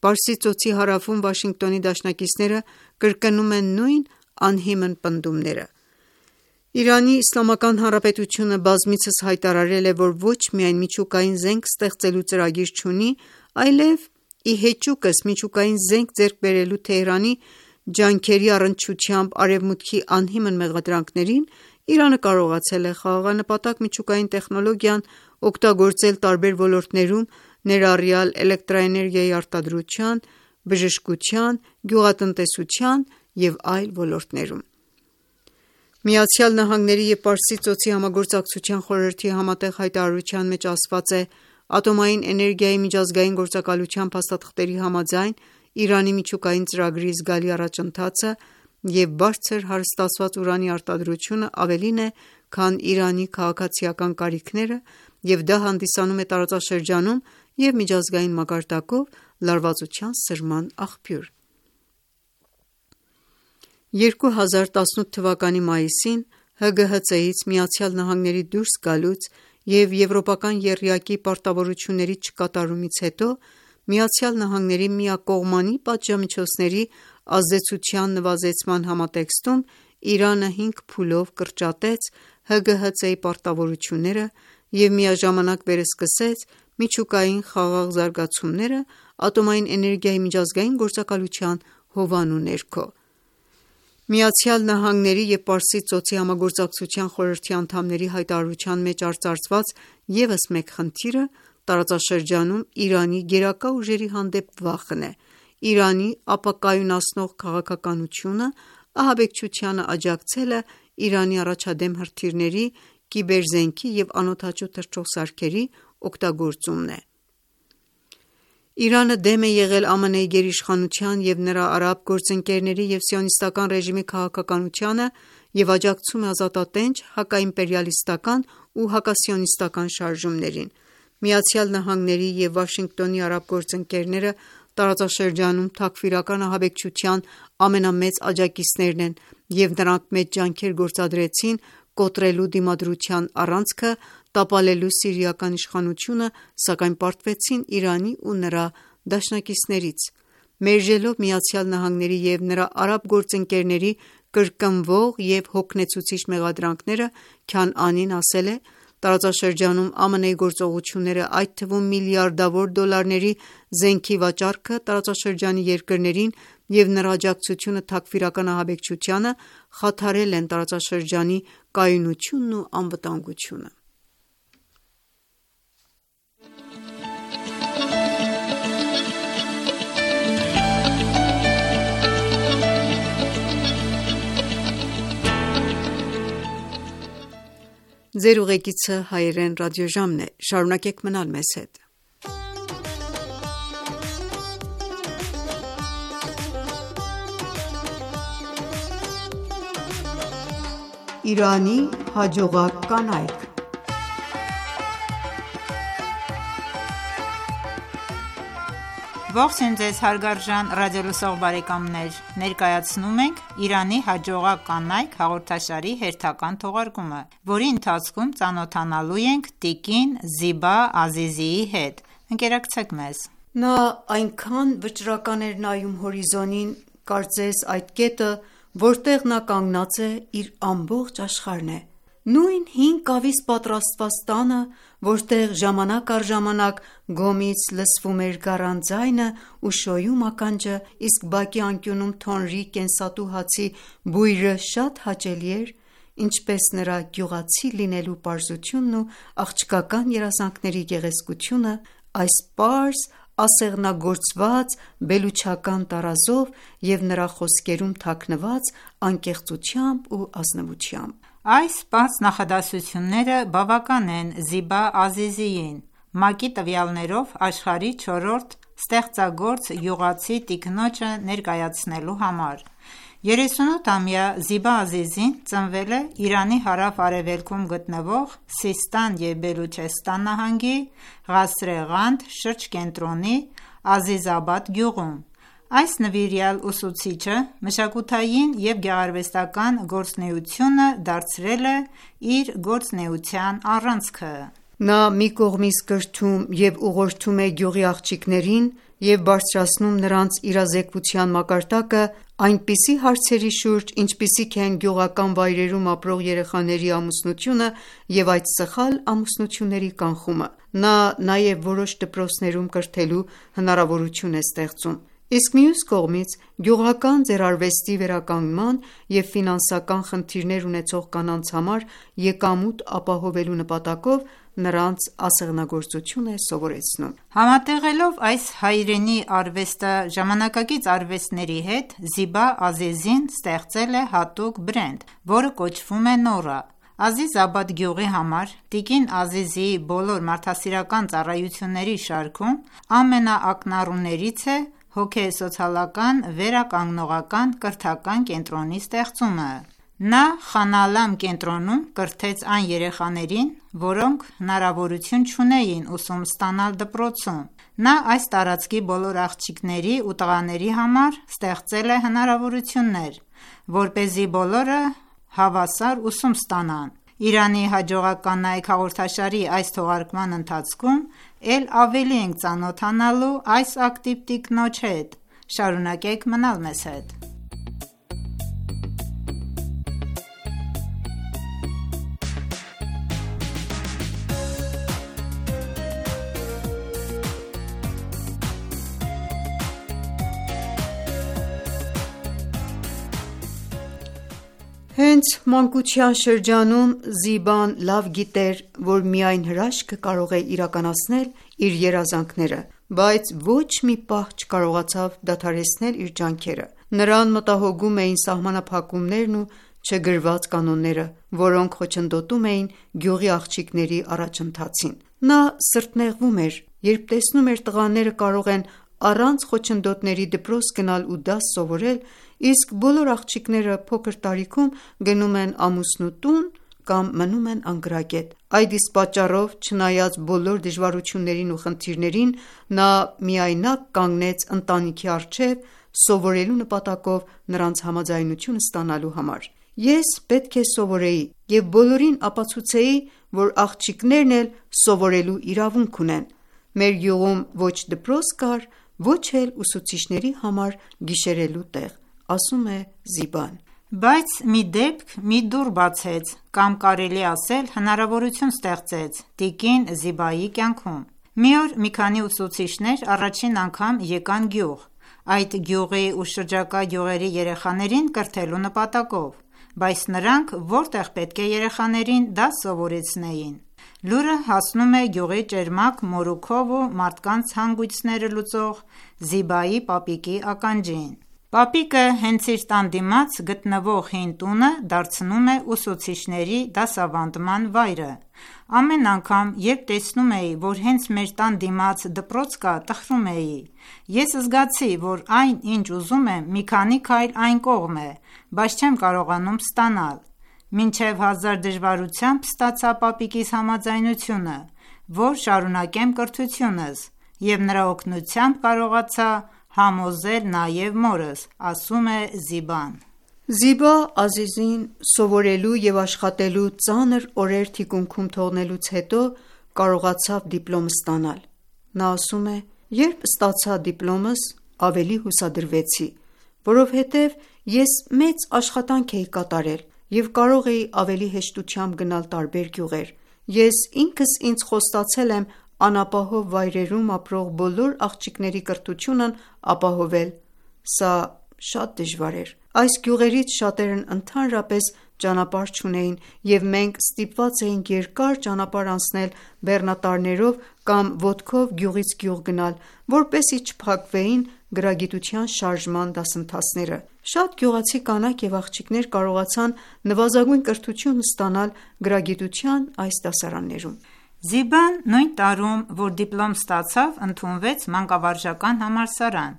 Պարսից ծոցի հարավում Վաշինգտոնի դաշնակիցները կրկնում են նույն անհիմն պնդումները։ Իրանի Իսլամական Հանրապետությունը բազմիցս հայտարարել է, որ ոչ միայն միջուկային զենք ստեղծելու ծրագիր չունի, այլև ի հեճուկս միջուկային զենք ձեռք բերելու Թեհրանի ջանքերի առնչությամբ Արևմուտքի անհիմն մեղադրանքներին, Իրանը կարողացել է խաղաղանպատակ միջուկային տեխնոլոգիան օգտագործել տարբեր ոլորտներում, ներառյալ էլեկտրաէներգիայի արտադրության, բժշկության, գյուղատնտեսության և այլ ոլորտներում։ ԱՄՆ-ի և Պարսից ծոցի համագործակցության խորհրդի համատեղ հայտարարության մեջ ասված է. «Ատոմային էներգիայի միջազգային գործակալության փաստաթղթերի համաձայն, Իրանի միջուկային ծրագրի զգալի առաջընթացը և բարձր հարստացված ուրանի արտադրությունը ավելին է, քան Իրանի քաղաքացիական կարիքները և դա հանդիսանում է տարածաշրջանում և միջազգային մակարդակով լարվածության սրման աղբյուր»։ երկու հազար տասնութ թվականի մայիսին Հ Գ Հ Ց-ից ԱՄՆ-ի դուրս գալուց և եվրոպական եռյակի պարտավորությունների չկատարումից հետո ԱՄՆ-ի միակողմանի պատժամիջոցների ազդեցության նվազեցման համատեքստում Իրանը հինգ փուլով կրճատեց Հ Գ Հ Ց-ի պարտավորությունները և միաժամանակ վերսկսեց միջուկային խաղաղ զարգացումները ատոմային էներգիայի միջազգային գործակալության հովանու ներքո։ ԱՄՆ-ի և Պարսից ծոցի համագործակցության խորհրդի անդամների հայտարարության մեջ արծարծված ևս մեկ խնդիրը տարածաշրջանում Իրանի գերակա ուժերի հանդեպ վախն է։ Իրանի ապակայունացնող քաղաքականությունը ահաբեկչությանը աջակցելը Իրանի առաջադեմ հրթիռների, կիբերզենքի և անօդաչու թռչող սարքերի օգտագործումն է։ Իրանը դեմ է եղել Ամն Ի գերիշխանության և նրա արաբ գործընկերների և Սիոնիստական ռեժիմի քաղաքականությանը և աջակցում է ազատատենչ, հակաիմպերիալիստական ու հակասիոնիստական շարժումներին։ ԱՄՆ-ի և Վաշինգտոնի արաբ գործընկերները տարածաշրջանում Թաքֆիրական ահաբեկչության ամենամեծ աջակիցներն են և նրանք մեծ ջանքեր գործադրեցին կոտրելու Դիմադրության առանցքը, տապալելու սիրիական իշխանությունը, սակայն պարտվեցին Իրանի ու նրա դաշնակիցներից։ Մերժելով ԱՄՆ-ի և նրա արաբ գործընկերների կրկնվող և հոգնեցուցիչ մեղադրանքները, Քանանին ասել է. «Տարածաշրջանում ԱՄՆ-ի գործողությունները, այդ թվում միլիարդավոր դոլարների զենքի վաճառքը տարածաշրջանի երկրներին և նրա աջակցությունը Թաքֆիրական ահաբեկչությանը խաթարել են տարածաշրջանի կայունությունն ու անվտանգությունը»։ Իրանի հաջողակ կանայք Ողջույն ձեզ հարգարժան ռադիոլսող բարեկամներ: Ներկայացնում ենք «Իրանի հաջողակ կանայք» հաղորդաշարի հերթական թողարկումը, որի ընթացքում ծանոթանալու ենք տիկին Զիբա Ազիզիի հետ: Ընկերակցեք մեզ: Նա այնքան վճռական էր նայում հորիզոնին, կարծես այդ կետը, որտեղ նա կանգնած է, իր ամբողջ աշխարհն է: Նույն հին կավից պատրաստված տանը, որտեղ ժամանակ առ ժամանակ գոմից լսվում էր գառան ձայնը ու շոյում ականջը, իսկ բակի անկյունում թոնրի կենսատու հացի բույրը շատ հաճելի էր, ինչպես նրա գյուղացի լինելու պարզությունն ու աղջկական երազանքների գեղեցկությունը, այս պարզ, ասեղնագործված բելուչական տարազով և նրա խոսքերում թաքնված անկեղծությամբ ու ազնվությամբ: Այս պարզ նախադասությունները բավական են Զիբա Ազիզիին, ՄԱԿ-ի տվյալներով աշխարհի չորրորդ ստեղծագործ գյուղացի տիկնոջը ներկայացնելու համար: երեսունութամյա Զիբա Ազիզին ծնվել է Իրանի հարավ-արևելքում գտնվող Սիստան և Բելուչեստան նահանգի Ղասրե-Ղանդ շրջկենտրոնի Ազիզաբադ գյուղում: Այս նվիրյալ ուսուցիչը մշակութային և գեղարվեստական գործունեությունը դարձրել է իր գործունեության առանցքը: Նա մի կողմից կրթում և ուղղորդում է գյուղի աղջիկներին և բարձրացնում նրանց իրազեկվության մակարդակը այնպիսի հարցերի շուրջ, ինչպիսիք են գյուղական վայրերում ապրող երեխաների ամուսնությունը և այդ սխալ ամուսնությունների կանխումը: Նա նաև որոշ դպրոցներում կրթելու հնարավորություն է ստեղծում: Իսկ մյուս կողմից, գյուղական ձեռարվեստի վերականգնման և ֆինանսական խնդիրներ ունեցող կանանց համար եկամուտ ապահովելու նպատակով, նրանց ասեղնագործություն է սովորեցնում։ Համատեղելով այս հայրենի արվեստը ժամանակակից արվեստների հետ, Զիբա Ազիզին ստեղծել է հատուկ բրենդ, որը կոչվում է Նորա։ Ազիզաբադ գյուղի համար տիկին Ազիզիի բոլոր մարդասիրական ծառայությունների շարքում ամենաակնառուներից է հոգեսոցիալական վերականգնողական կրթական կենտրոնի ստեղծումը։ Նա Խանալամ կենտրոնում կրթեց այն երեխաներին, որոնք հնարավորություն չունեին ուսում ստանալ դպրոցում։ Նա այս տարածքի բոլոր աղջիկների ու տղաների համար ստեղծել է հնարավորություններ, որպեսզի բոլորը հավասար ուսում ստանան։ Իրանի հաջողակ կանայք հաղորդաշարի այս թողարկման ընթացքում էլ ավելի ենք ծանոթանալու այս ակտիվ տիկնոջ հետ։ Շարունակեք մնալ մեզ հետ։ Հենց մանկության շրջանում Զիբան լավ գիտեր, որ միայն հրաշքը կարող է իրականացնել իր երազանքները, բայց ոչ մի պահ չկարողացավ դադարեցնել իր ջանքերը։ Նրան մտահոգում էին սահմանափակումներն ու չգրված կանոնները, որոնք խոչընդոտում էին գյուղի աղջիկների առաջընթացին։ Նա սրտնեղվում էր, երբ տեսնում էր տղաները կարող են առանց խոչընդոտների դպրոց գնալ ու դաս սովորել, իսկ բոլոր աղջիկները փոքր տարիքում գնում են ամուսնու տուն կամ մնում են անգրագետ։ Այդ իսկ պատճառով, չնայած բոլոր դժվարություններին ու խնդիրներին, նա միայնակ կանգնեց ընտանիքի առջև սովորելու նպատակով նրանց համաձայնությունը ստանալու համար։ Ես պետք է սովորեի և բոլորին ապացուցեի, որ աղջիկներն էլ սովորելու իրավունք ունեն։ Մեր գյուղում ոչ դպրոց կար, ոչ էլ ուսուցիչների համար գիշերելու տեղ, ասում է Զիբան։ Բայց մի դեպք մի դուռ բացեց, կամ կարելի ասել հնարավորություն ստեղծեց տիկին Զիբայի կյանքում։ Մի օր մի քանի ուսուցիչներ առաջին անգամ եկան գյուղ, այդ գյուղի ու շրջակա գյուղերի երեխաներին կրթելու նպատակով, բայց նրանք որտեղ պետք է երեխաներին դաս սովորեցնեին։ Լուրը հասնում է գյուղի ճերմակ մորուքով ու մարդկանց հանգույցները լուծող Զիբայի պապիկի ականջին։ Պապիկը հենց իր տան դիմաց գտնվող հին տունը դարձնում է ուսուցիչների դասավանդման վայրը։ Ամեն անգամ, երբ տեսնում էի, որ հենց մեր տան դիմաց դպրոց կա, տխրում էի։ Ես զգացի, որ այն, ինչ ուզում եմ, մի քանի քայլ այն կողմ է, բայց չեմ կարողանում ստանալ։ Մինչև հազար դժվարությամբ ստացա պապիկիս համաձայնությունը, որ շարունակեմ կրթությունս, և նրա օգնությամբ կարողացա համոզել նաև մորս, ասում է Զիբան։ Զիբա Ազիզին սովորելու և աշխատելու ծանր օրեր թիկունքում թողնելուց հետո կարողացավ դիպլոմ ստանալ։ Նա ասում է. «Երբ ստացա դիպլոմս, ավելի հուսադրվեցի, որովհետև ես մեծ աշխատանք էի կատարել և կարող էի ավելի հեշտությամբ գնալ տարբեր գյուղեր։ Ես ինքս ինձ խոստացել եմ անապահով վայրերում ապրող բոլոր աղջիկների կրթությունն ապահովել։ Սա շատ դժվար էր։ Այս գյուղերից շատերն ընդհանրապես ճանապարհ չունեին, և մենք ստիպված էինք երկար ճանապարհ անցնել բեռնատարներով կամ ոտքով գյուղից գյուղ գնալ, որպեսզի չփակվեին գրագիտության շարժման դասընթացները։ Շատ գյուղացի կանայք և աղջիկներ կարողացան նվազագույն կրթություն ստանալ գրագիտության այս դասարաններում»։ Զիբան նույն տարում, որ դիպլոմ ստացավ, ընդունվեց մանկավարժական համալսարան,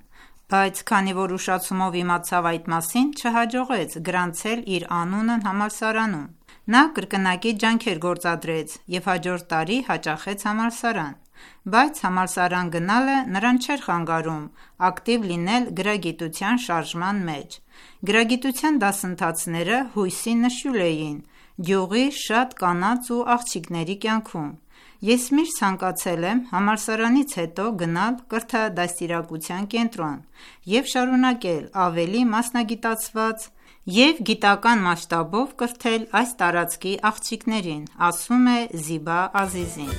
բայց քանի որ ուշացումով իմացավ այդ մասին, չհաջողեց գրանցել իր անունն համալսարանում։ Նա կրկնակի ջանքեր գործադրեց և հաջորդ տարի հաճախեց համալսարան, բայց համալսարան գնալը նրան չէր խանգարում ակտիվ լինել գրագիտության շարժման մեջ։ Գրագիտության դասընթացները հույսի նշույլ էին գյուղի շատ կանանց ու աղջիկների կյանքում։ Ես միշտ ցանկացել եմ համալսարանից հետո գնալ կրթադաստիարակության կենտրոն և շարունակել ավելի մասնագիտացված և գիտական մասշտաբով կրթել այս տարածքի աղջիկներին, ասում է Զիբա Ազիզին։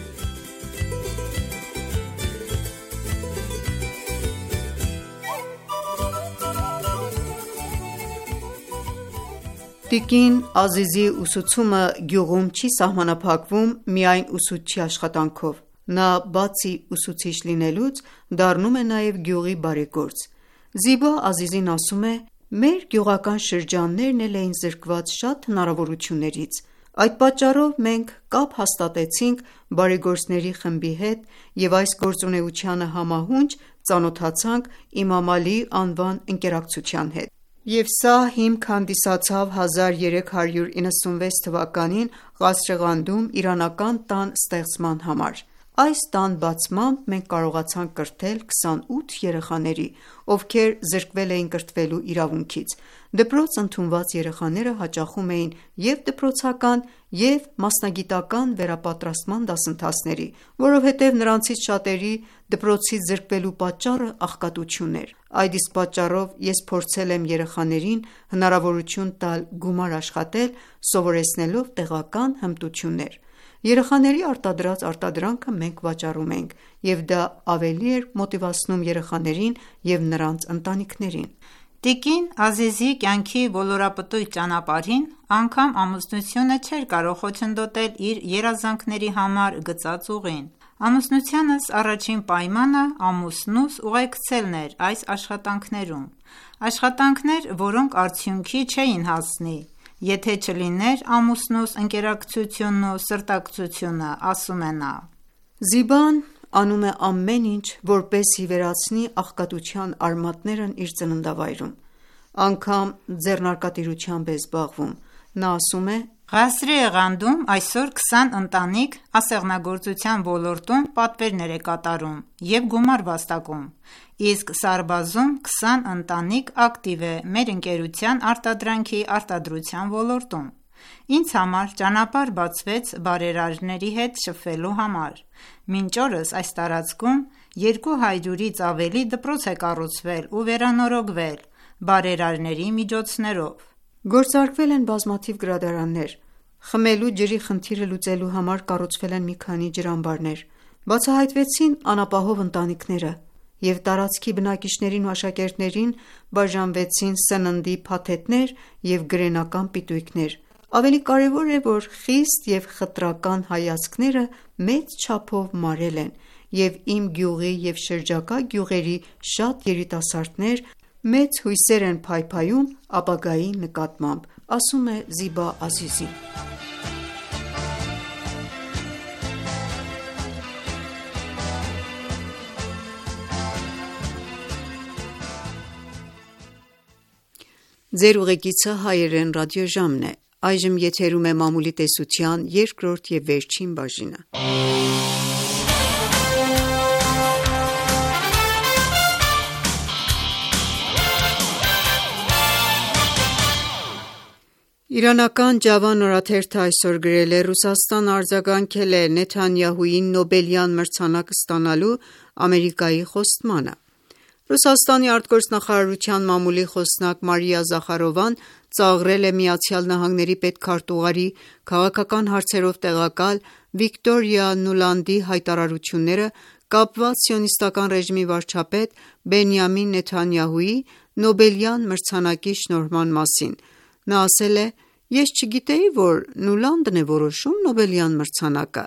Տիկին Ազիզի ուսուցումը գյուղում չի սահմանափակվում միայն ուսուցչի աշխատանքով: Նա բացի ուսուցիչ լինելուց, դառնում է նաև գյուղի բարեգործ: Զիբա Ազիզին ասում է. «Մեր գյուղական շրջաններն էլ էին զրկված շատ հնարավորություններից: Այդ պատճառով մենք կապ հաստատեցինք բարեգործների խմբի հետ և այս գործունեությանը համահունչ ծանոթացանք Իմամ Ալի անվան ընկերակցության հետ: Եվ սա հիմք հանդիսացավ հազար երեք հարյուր իննսունվեց թվականին Ղասրեղանդում իրանական տան ստեղծման համար: Այս տան բացմամբ մենք կարողացանք կրթել քսանութ երեխաների, ովքեր զրկվել էին կրթվելու իրավունքից: Դպրոց ընդունված երեխաները հաճախում էին և դպրոցական և մասնագիտական վերապատրաստման դասընթացների, որովհետև նրանցից շատերի դպրոցից զրկվելու պատճառը աղքատությունն էր: Այդ իսկ պատճառով ես փորձել եմ երեխաներին հնարավորություն տալ գումար աշխատել սովորեցնելով տեղական հմտություններ: Երեխաների արտադրած արտադրանքը մենք վաճառում էինք և դա ավելի էր մոտիվացնում երեխաներին և նրանց ընտանիքներին»: Տիկին Ազիզի կյանքի ոլորապտույտ ճանապարհին անգամ ամուսնությունը չէր կարող խոչընդոտել իր երազանքների համար գծած ուղին: «Ամուսնությանս առաջին պայմանը ամուսնուս ուղեկցելն էր այս աշխատանքներում: Աշխատանքներ, որոնք արդյունքի չէին հասնի, եթե չլիներ ամուսնուս ընկերակցությունն ու սրտակցությունը»,-ասում է նա: Զիբան անում է ամեն ինչ, որպեսզի վերացնի աղքատության արմատներն իր ծննդավայրում: Անգամ ձեռնարկատիրությամբ է զբաղվում: Նա ասում է. «Ղասրիեղանդում այսօր քսան ընտանիք ասեղնագործության ոլորտում պատվերներ է կատարում և գումար վաստակում, իսկ Սարբազում քսան ընտանիք ակտիվ է մեր ընկերության արտադրանքի արտադրության ոլորտում: Ինձ համար ճանապարհ բացվեց բարերարների հետ շփվելու համար: Մինչ օրս այս տարածքում երկու հարյուրից ավելի դպրոց է կառուցվել ու վերանորոգվել բարերարների միջոցներով: Գործարկվել են բազմաթիվ գրադարաններ: Խմելու ջրի խնդիրը լուծելու համար կառուցվել են մի քանի ջրամբարներ: Բացահայտվեցին անապահով ընտանիքները և տարածքի բնակիչներին ու աշակերտներին բաժանվեցին սննդի փաթեթներ և գրենական պիտույքներ: Ավելի կարևոր է, որ խիստ և խտրական հայացքները մեծ չափով մարել են և իմ գյուղի և շրջակա գյուղերի շատ երիտասարդներ մեծ հույսեր են փայփայում ապագայի նկատմամբ»,-ասում է Զիբա Ազիզին: Իրանական Ջավան օրաթերթը այսօր գրել է. «Ռուսաստանը արձագանքել է Նեթանյահուին Նոբելյան մրցանակ ստանալու Ամերիկայի խոստմանը»: Ռուսաստանի արտգործնախարարության մամուլի խոսնակ Մարիա Զախարովան ծաղրել է ԱՄՆ պետքարտուղարի քաղաքական հարցերով տեղակալ Վիկտորիա Նուլանդի հայտարարությունները կապված Սիոնիստական ռեժիմի վարչապետ Բենյամին Նեթանյահուի Նոբելյան մրցանակի շնորհման մասին: Նա ասել է. «Ես չգիտեի, որ Նուլանդն է որոշում Նոբելյան մրցանակը»: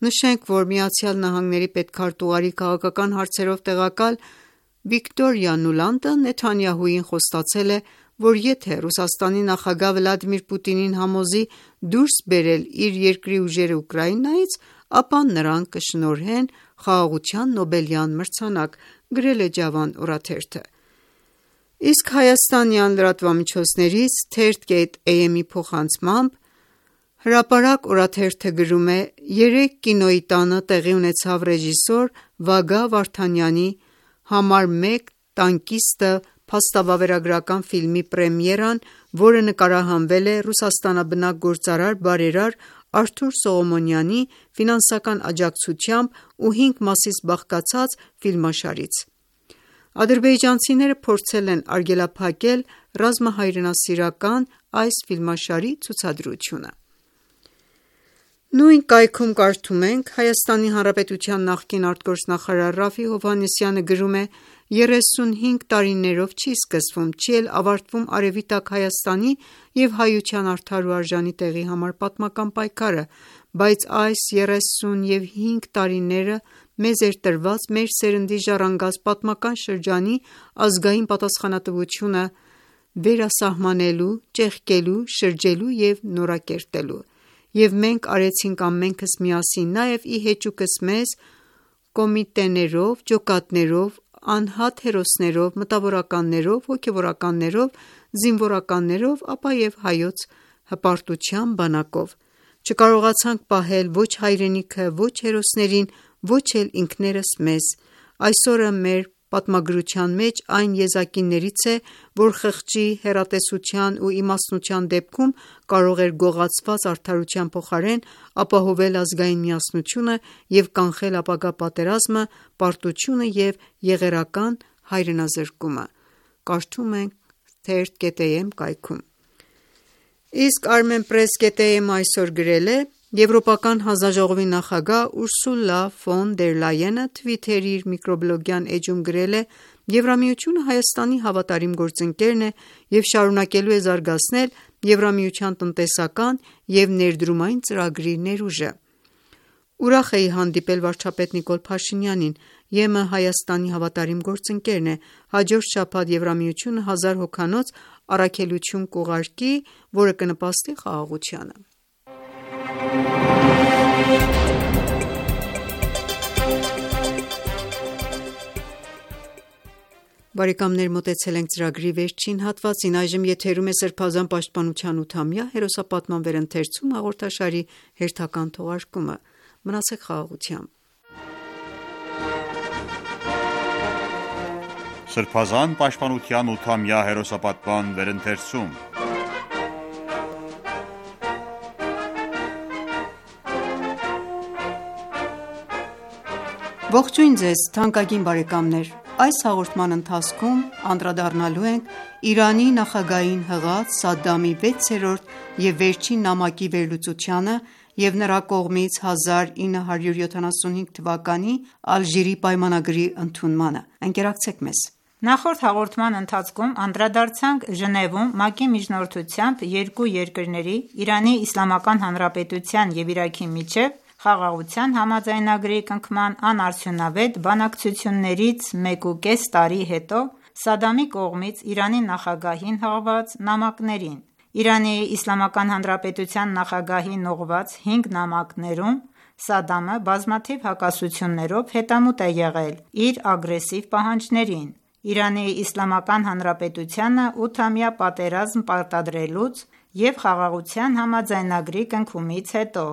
Նշենք, որ ԱՄՆ պետքարտուղարի քաղաքական հարցերով տեղակալ Վիկտորիա Նուլանդը Նեթանյահուին խոստացել է, որ եթե Ռուսաստանի նախագահ Վլադիմիր Պուտինին համոզի դուրս բերել իր երկրի ուժերը Ուկրաինայից, ապա նրան կշնորհեն խաղաղության Նոբելյան մրցանակ: Գրել է Ջավան օրաթերթը: Իսկ հայաստանյան լրատվամիջոցներից Թերթ.am-ի փոխանցմամբ Հրապարակ օրաթերթը գրում է. «Երեկ Կինոյի տանը տեղի ունեցավ ռեժիսոր Վագա Վարդանյանի «Համար մեկ տանկիստը» փաստավավերագրական ֆիլմի պրեմիերան, որը նկարահանվել է ռուսաստանաբնակ գործարար բարերար Արթուր Սողոմոնյանի ֆինանսական աջակցությամբ ու հինգ մասից բաղկացած ֆիլմաշարից: Ադրբեջանցիները փորձել են արգելափակել ռազմահայրենասիրական այս ֆիլմաշարի ցուցադրությունը»: Նույն կայքում կարդում ենք. «Հայաստանի Հանրապետության նախկին արտգործնախարար Րաֆֆի Հովհաննիսյանը գրում է. երեսունհինգ տարիներով չի սկսվում, չի էլ ավարտվում Արևի տակ Հայաստանի և հայության արդար ու արժանի տեղի համար պատմական պայքարը, բայց այս երեսունհինգ տարիները մեզ էր տրված մեր սերնդի ժառանգած պատմական շրջանի ազգային պատասխանատվությունը վերասահմանելու, ճեղքելու, շրջելու և նորակերտելու: Եվ մենք արեցինք ամենքս միասին, նաև ի հեճուկս մեզ, կոմիտեներով, ջոկատներով, անհատ հերոսներով, մտավորականներով, հոգևորականներով, զինվորականներով, ապա և Հայոց հպարտության բանակով: Չկարողացանք պահել ոչ հայրենիքը, ոչ հերոսներին, ոչ էլ ինքներս մեզ: Այսօրը մեր պատմագրության մեջ այն եզակիներից է, որ խղճի, հեռատեսության ու իմաստնության դեպքում կարող էր գողացված արդարության փոխարեն ապահովել ազգային միասնությունը և կանխել ապագա պատերազմը, պարտությունը և եղերական հայրենազրկումը: Կարդում ենք թերթ.am կայքում: Իսկ armenpress.am այսօր գրել է. Եվրոպական հանձնաժողովի նախագահ Ուրսուլա ֆոն դեր Լայենը Twitter-ի իր միկրոբլոգյան էջում գրել է. «Եվրամիությունը Հայաստանի հավատարիմ գործընկերն է և շարունակելու է զարգացնել Եվրամիության տնտեսական և ներդրումային ծրագրի ներուժը»: Ուրախ էի հանդիպել վարչապետ Նիկոլ Փաշինյանին: ԵՄ Հայաստանի հավատարիմ գործընկերն է: Հաջորդ շաբաթ Եվրամիությունը հազար հոգանոց առաքելություն կուղարկի, որը կնպաստի խաղաղությանը: Մոտեցել ենք ծրագրի վերջին հատվածին: Այժմ եթերում է Սրբազան պաշտպանության ութամյա հերոսապատման վերընթերցում հաղորդաշարի հերթական թողարկումը: Մնացեք խաղաղությամբ: Սրբազան պաշտպանության ութամյա հերոսապատման վերընթերցում Ողջույն ձեզ թանկագին բարեկամներ: Այս հաղորդման ընթացքում անդրադառնալու ենք Իրանի նախագահին հղած Սադամի վեցերորդ և վերջին նամակի վերլուծությանը և նրա կողմից հազար ինը հարյուր յոթանասունհինգ թվականի Ալժիրի պայմանագրի ընդունմանը: Ընկերակցեք մեզ: Նախորդ հաղորդման ընթացքում անդրադարձանք Ժնևում ՄԱԿ-ի միջնորդությամբ երկու երկրների՝ Իրանի Իսլամական Հանրապետության և Իրաքի միջև Խաղաղության համաձայնագրի կնքման անարդյունավետ բանակցություններից մեկուկես տարի հետո Սադամի կողմից Իրանի նախագահին հղված նամակներին: Իրանի Իսլամական Հանրապետության նախագահին ուղղված հինգ նամակներում Սադամը բազմաթիվ հակասություններով հետամուտ է եղել իր ագրեսիվ պահանջներին՝ Իրանի Իսլամական Հանրապետությանը ութամյա պատերազմ պարտադրելուց և Խաղաղության համաձայնագրի կնքումից հետո: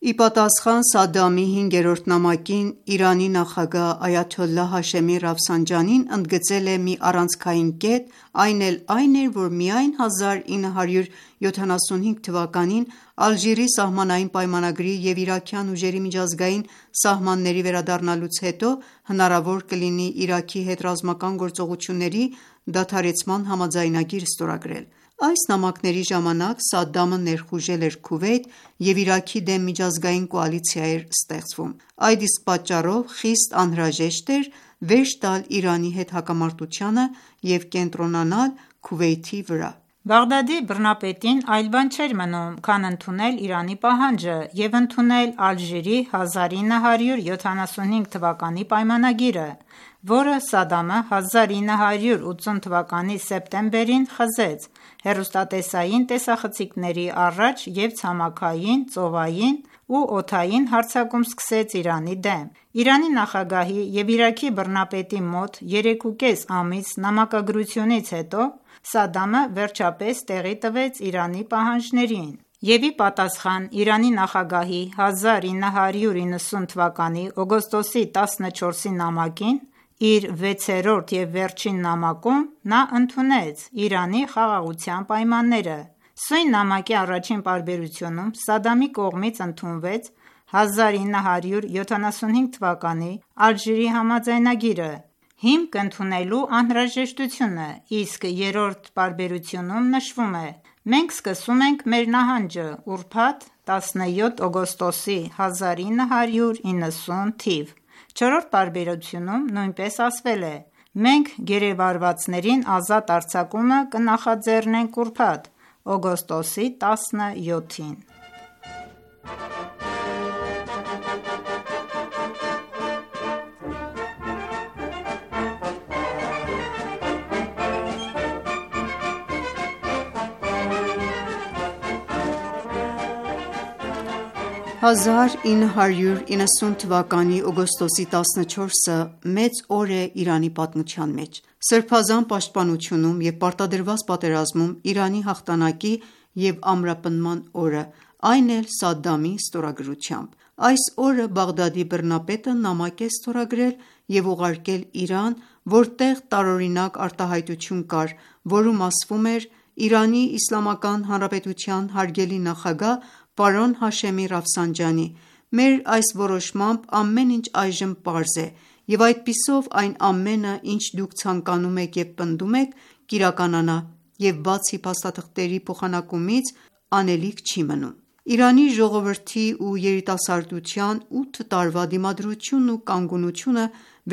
Ի պատասխան Սադամի հինգերորդ նամակին Իրանի նախագահ Այաթոլլահ Հաշեմի Ռաֆսանջանին ընդգծել է մի առանցքային կետ, այն էլ այն էր, որ միայն հազար ինը հարյուր յոթանասունհինգ թվականին Ալժիրի սահմանային պայմանագրի և իրաքյան ուժերի միջազգային սահմանների վերադառնալուց հետո հնարավոր կլինի Իրաքի հետ ռազմական գործողությունների դադարեցման համաձայնագիր ստորագրել: Այս նամակների ժամանակ Սադամը ներխուժել էր Քուվեյթ և Իրաքի դեմ միջազգային կոալիցիա էր ստեղծվում: Այդ իսկ պատճառով խիստ անհրաժեշտ էր վերջ տալ Իրանի հետ հակամարտությանը և կենտրոնանալ Քուվեյթի վրա: Բաղդադի բռնապետին այլ բան չէր մնում, քան ընդունել Իրանի պահանջը և ընդունել Ալժիրի հազար ինը հարյուր յոթանասունհինգ թվականի պայմանագիրը, որը Սադամը հազար ինը հարյուր ութսուն թվականի սեպտեմբերին խզեց հեռուստատեսային տեսախցիկների առաջ և ցամաքային, ծովային ու օդային հարձակում սկսեց Իրանի դեմ: Իրանի նախագահի և Իրաքի բռնապետի մոտ երեկուկես ամիս նամակագրությունից հետո Սադամը վերջապես տեղի տվեց Իրանի պահանջներին և ի պատասխան Իրանի նախագահի հազար ինը հարյուր իննսուն թվականի օգոստոսի տասնչորսի նամակին, իր վեցերորդ և վերջին նամակում նա ընդունեց Իրանի խաղաղության պայմանները: Սույն նամակի առաջին պարբերությունում Սադամի կողմից ընդունվեց հազար ինը հարյուր յոթանասունհինգ թվականի Ալժիրի համաձայնագիրը՝ հիմք ընդունելու անհրաժեշտությունը, իսկ երրորդ պարբերությունում նշվում է. «Մենք սկսում ենք մեր նահանջը ուրբաթ տասնյոթ օգոստոսի հազար ինը հարյուր իննսուն թիվ»: Չորրորդ պարբերությունում նույնպես ասվել է. Մենք գերեվարվածներին ազատ արձակումը կնախաձեռնենք ուրբաթ օգոստոսի տասնյոթին: հազար ինը հարյուր իննսուն թվականի օգոստոսի տասնչորսը մեծ օր է Իրանի պատմության մեջ։ Սրբազան պաշտպանությունում և պարտադրված պատերազմում Իրանի հաղթանակի և ամրապնդման օրը, այն էլ Սադդամի ստորագրությամբ: Այս օրը Բաղդադի բռնապետը նամակ է ստորագրել և ուղարկել Իրան, որտեղ տարօրինակ արտահայտություն կար, որում ասվում էր. «Իրանի Իսլամական Հանրապետության հարգելի նախագահ պարոն Հաշեմի Ռաֆսանջանի, մեր այս որոշմամբ ամեն ինչ այժմ պարզ է, և այդպիսով այն ամենը, ինչ դուք ցանկանում եք և պնդում եք, կիրականանա, և բացի փաստաթղթերի փոխանակումից անելիք չի մնում»: Իրանի ժողովրդի ու երիտասարդության ութ տարվա դիմադրությունն ու կանգունությունը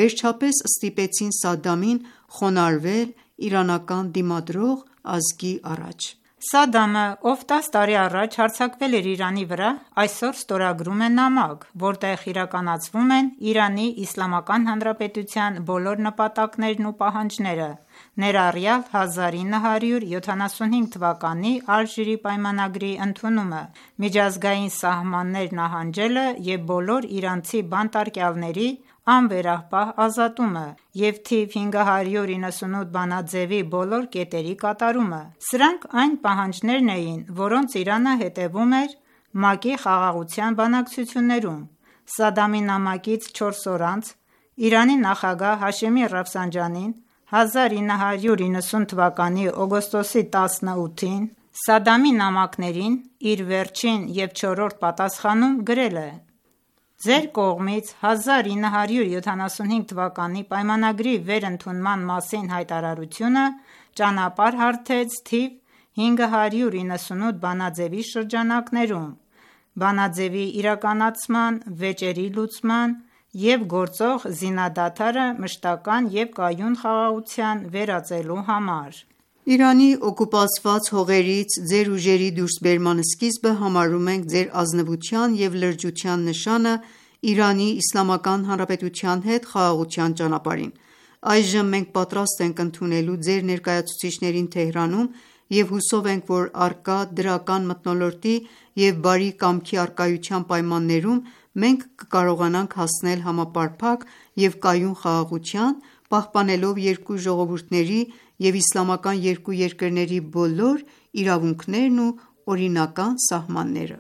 վերջապես ստիպեցին Սադդամին խոնարհվել իրանական դիմադրող ազգի առաջ։ Սադդամը, ով տաս տարի առաջ հարձակվել էր Իրանի վրա, այսօր ստորագրում է նամակ, որտեղ իրականացվում են Իրանի Իսլամական Հանրապետության բոլոր նպատակներն ու պահանջները, ներառյալ հազար ինը հարյուր յոթանասունհինգ թվականի Ալժիրի պայմանագրի ընդունումը, միջազգային սահմաններ նահանջելը և բոլոր իրանցի բանտարկյալների անվերապահ ազատումը և թիվ հինգ հարյուր իննսունութ բանաձեւի բոլոր կետերի կատարումը: Սրանք այն պահանջներն էին, որոնց Իրանը հետևում էր ՄԱԿ-ի Խաղաղության բանակցություններում: Սադդամի նամակից չորս օր անց Իրանի նախագահ Հաշեմի Ռաֆսանջանին հազար ինը հարյուր իննսուն թվականի օգոստոսի տասնութին Սադդամի նամակներին իր վերջին և չորրորդ պատասխանում գրել է. «Ձեր կողմից հազար ինը հարյուր յոթանասունհինգ թվականի պայմանագրի վերընդունման մասին հայտարարությունը ճանապարհ հարթեց թիվ հինգ հարյուր իննսունութ բանաձեւի շրջանակներում, բանաձեւի իրականացման, վեճերի լուծման և գործող զինադադարը մշտական և կայուն խաղաղության վերածելու համար»: «Իրանի օկուպացված հողերից ձեր ուժերի դուրսբերման սկիզբը համարում ենք ձեր ազնվության և լրջության նշանը Իրանի Իսլամական Հանրապետության հետ խաղաղության ճանապարհին: Այժմ մենք պատրաստ ենք ընդունելու ձեր ներկայացուցիչներին Թեհրանում և հուսով ենք, որ առկա դրական մթնոլորտի և բարի կամքի առկայության պայմաններում մենք կկարողանանք հասնել համապարփակ և կայուն խաղաղության՝ պահպանելով երկու ժողովուրդների և իսլամական երկու երկրների բոլոր իրավունքներն ու օրինական սահմանները»: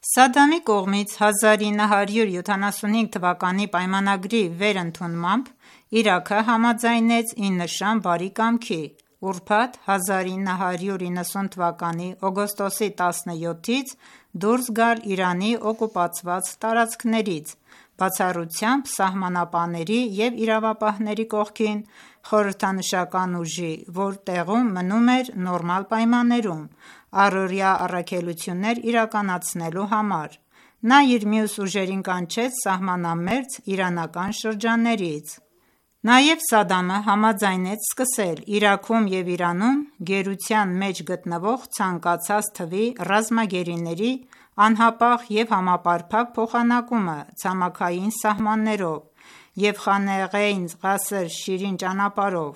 Սադդամի կողմից հազար ինը հարյուր յոթանասունհինգ թվականի պայմանագրի վերընդունմամբ Իրաքը համաձայնեց ի նշան բարի կամքի, ուրբաթ հազար ինը հարյուր իննսուն թվականի օգոստոսի տասնյոթից դուրս գալ Իրանի օկուպացված տարածքներից, բացառությամբ սահմանապահների և իրավապահների կողքին խորհրդանշական ուժի, որ տեղում մնում էր նորմալ պայմաններում առօրյա առաքելություններ իրականացնելու համար: Նա իր մյուս ուժերին կանչեց սահմանամերձ իրանական շրջաններից: Նաև Սադդամը համաձայնեց սկսել Իրաքում և Իրանում գերության մեջ գտնվող ցանկացած թվի ռազմագերիների անհապաղ և համապարփակ փոխանակումը ցամաքային սահմաններով և Խանեղեյն Ղասր Շիրին ճանապարհով: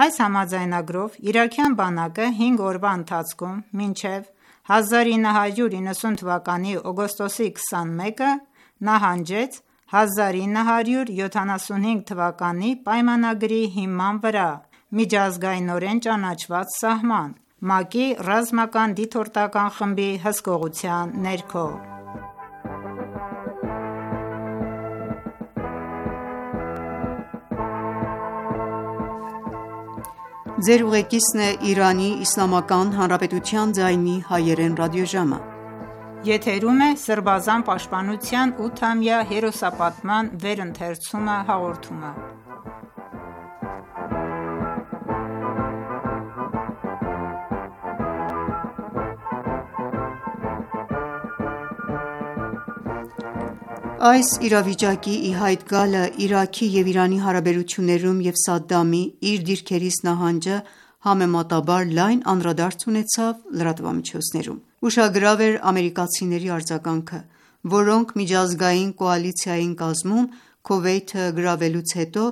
Այս համաձայնագրով իրաքյան բանակը հինգ օրվա ընթացքում մինչև հազար ինը հարյուր իննսուն թվականի օգոստոսի քսանմեկը նահանջեց հազար ինը հարյուր յոթանասունհինգ թվականի պայմանագրի հիման վրա միջազգայնորեն ճանաչված սահման՝ ՄԱԿ-ի Ռազմական դիտորդական խմբի հսկողության ներքո: Այս իրավիճակի ի հայտ գալը Իրաքի և Իրանի հարաբերություններում և Սադամի իր դիրքերից նահանջը համեմատաբար լայն անդրադարձ ունեցավ լրատվամիջոցներում: Ուշագրավ էր ամերիկացիների արձագանքը, որոնք միջազգային կոալիցիային կազմում Քուվեյթը գրավելուց հետո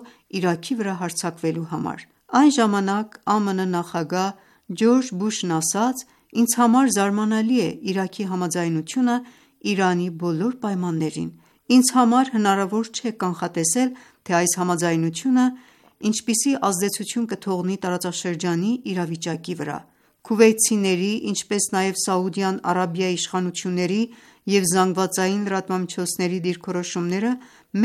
Իրաքի վրա հարձակվելու համար: Այն ժամանակ ԱՄՆ նախագահ Ջորջ Բուշն ասաց.«Ինձ համար զարմանալի է Իրաքի համաձայնությունը Իրանի բոլոր պայմաններին: Ինձ համար հնարավոր չէ կանխատեսել, թե այս համաձայնությունը ինչպիսի ազդեցություն կթողնի տարածաշրջանի իրավիճակի վրա: Քուվեյթցիների, ինչպես նաև Սաուդյան Արաբիայի իշխանությունների և զանգվածային լրատվամիջոցների դիրքորոշումները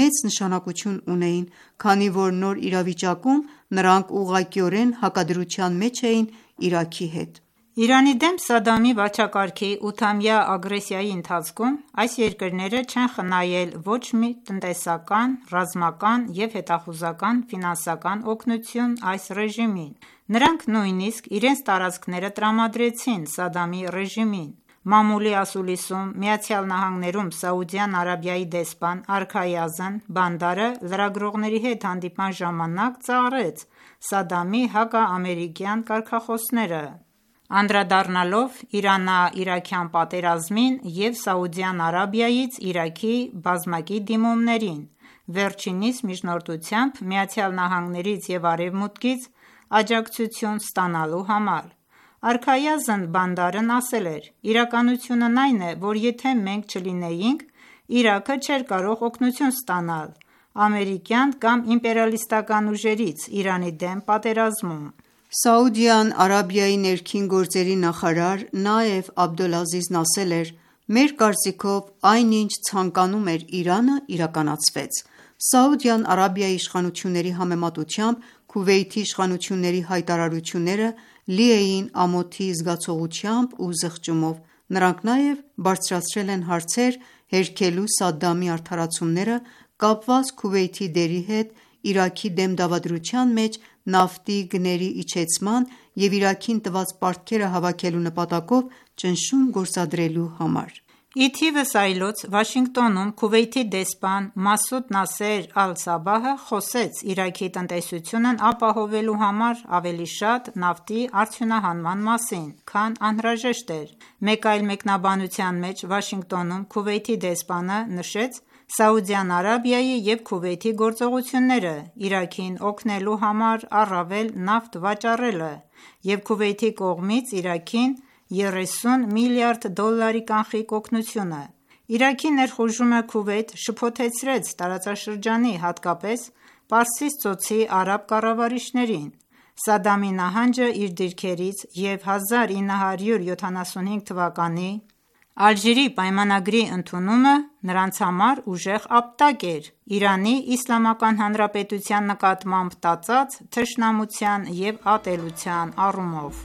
մեծ նշանակություն ունեին, քանի որ նոր իրավիճակում նրանք ուղղակիորեն հակադրության մեջ էին Իրաքի հետ»: Իրանի դեմ Սադամի վարչակարգի ութամյա ագրեսիայի ընթացքում այս երկրները չեն խնայել ոչ մի տնտեսական, ռազմական և հետախուզական ֆինանսական օգնություն այս ռեժիմին: Նրանք նույնիսկ իրենց տարածքները տրամադրեցին Սադամի ռեժիմին: Մամուլի ասուլիսում ԱՄՆ-ում Սաուդյան Արաբիայի դեսպան արքայազն Բանդարը լրագրողների հետ հանդիպման ժամանակ ծաղրեց Սադամի հակաամերիկյան կարգախոսները, անդրադառնալով Իրանա-իրաքյան պատերազմին և Սաուդյան Արաբիայից Իրաքի բազմակի դիմումներին, վերջինիս միջնորդությամբ ԱՄՆ-ից և Արևմուտքից աջակցություն ստանալու համար: Արքայազն Բանդարն ասել էր.«Իրականությունն այն է, որ եթե մենք չլինեինք, Իրաքը չէր կարող օգնություն ստանալ ամերիկյան կամ իմպերիալիստական ուժերից Իրանի դեմ պատերազմում»: Սաուդյան Արաբիայի ներքին գործերի նախարար Նաեֆ Աբդոլազիզն ասել էր.«Մեր կարծիքով այն ինչ ցանկանում էր Իրանը, իրականացվեց: Սաուդյան Արաբիայի իշխանությունների համեմատությամբ Քուվեյթի իշխանությունների հայտարարությունները լի էին ամոթի զգացողությամբ ու զղջումով: Նրանք նաև բարձրացրել են հարցեր հերքելու Սադամի արդարացումները կապված Քուվեյթի դերի հետ Իրաքի դեմ դավադրության մեջ նավթի գների իջեցման և Իրաքին տված պարտքերը հավաքելու նպատակով ճնշում գործադրելու համար»: Ի թիվս այլոց Վաշինգտոնում Քուվեյթի դեսպան Մասուդ Նասեր Ալ-Սաբահը խոսեց Իրաքի տնտեսությունն ապահովելու համար ավելի շատ նավթի արդյունահանման մասին, քան անհրաժեշտ էր: Մեկ այլ մեկնաբանության մեջ Վաշինգտոնում Քուվեյթի դեսպանը նշեց Սաուդյան Արաբիայի և Քուվեյթի գործողությունները Իրաքին օգնելու համար առավել նավթ վաճառելը և Քուվեյթի կողմից Իրաքին երեսուն միլիարդ դոլարի կանխիկ օգնությունը: Իրաքի ներխուժումը Քուվեյթ շփոթեցրեց տարածաշրջանի, հատկապես Պարսից ծոցի արաբ կառավարիչներին: Սադամի նահանջը իր դիրքերից և հազար ինը հարյուր յոթանասունհինգ թվականի Ալժիրի պայմանագրի ընդունումը նրանց համար ուժեղ ապտակ էր Իրանի Իսլամական Հանրապետության նկատմամբ տածած թշնամության և ատելության առումով: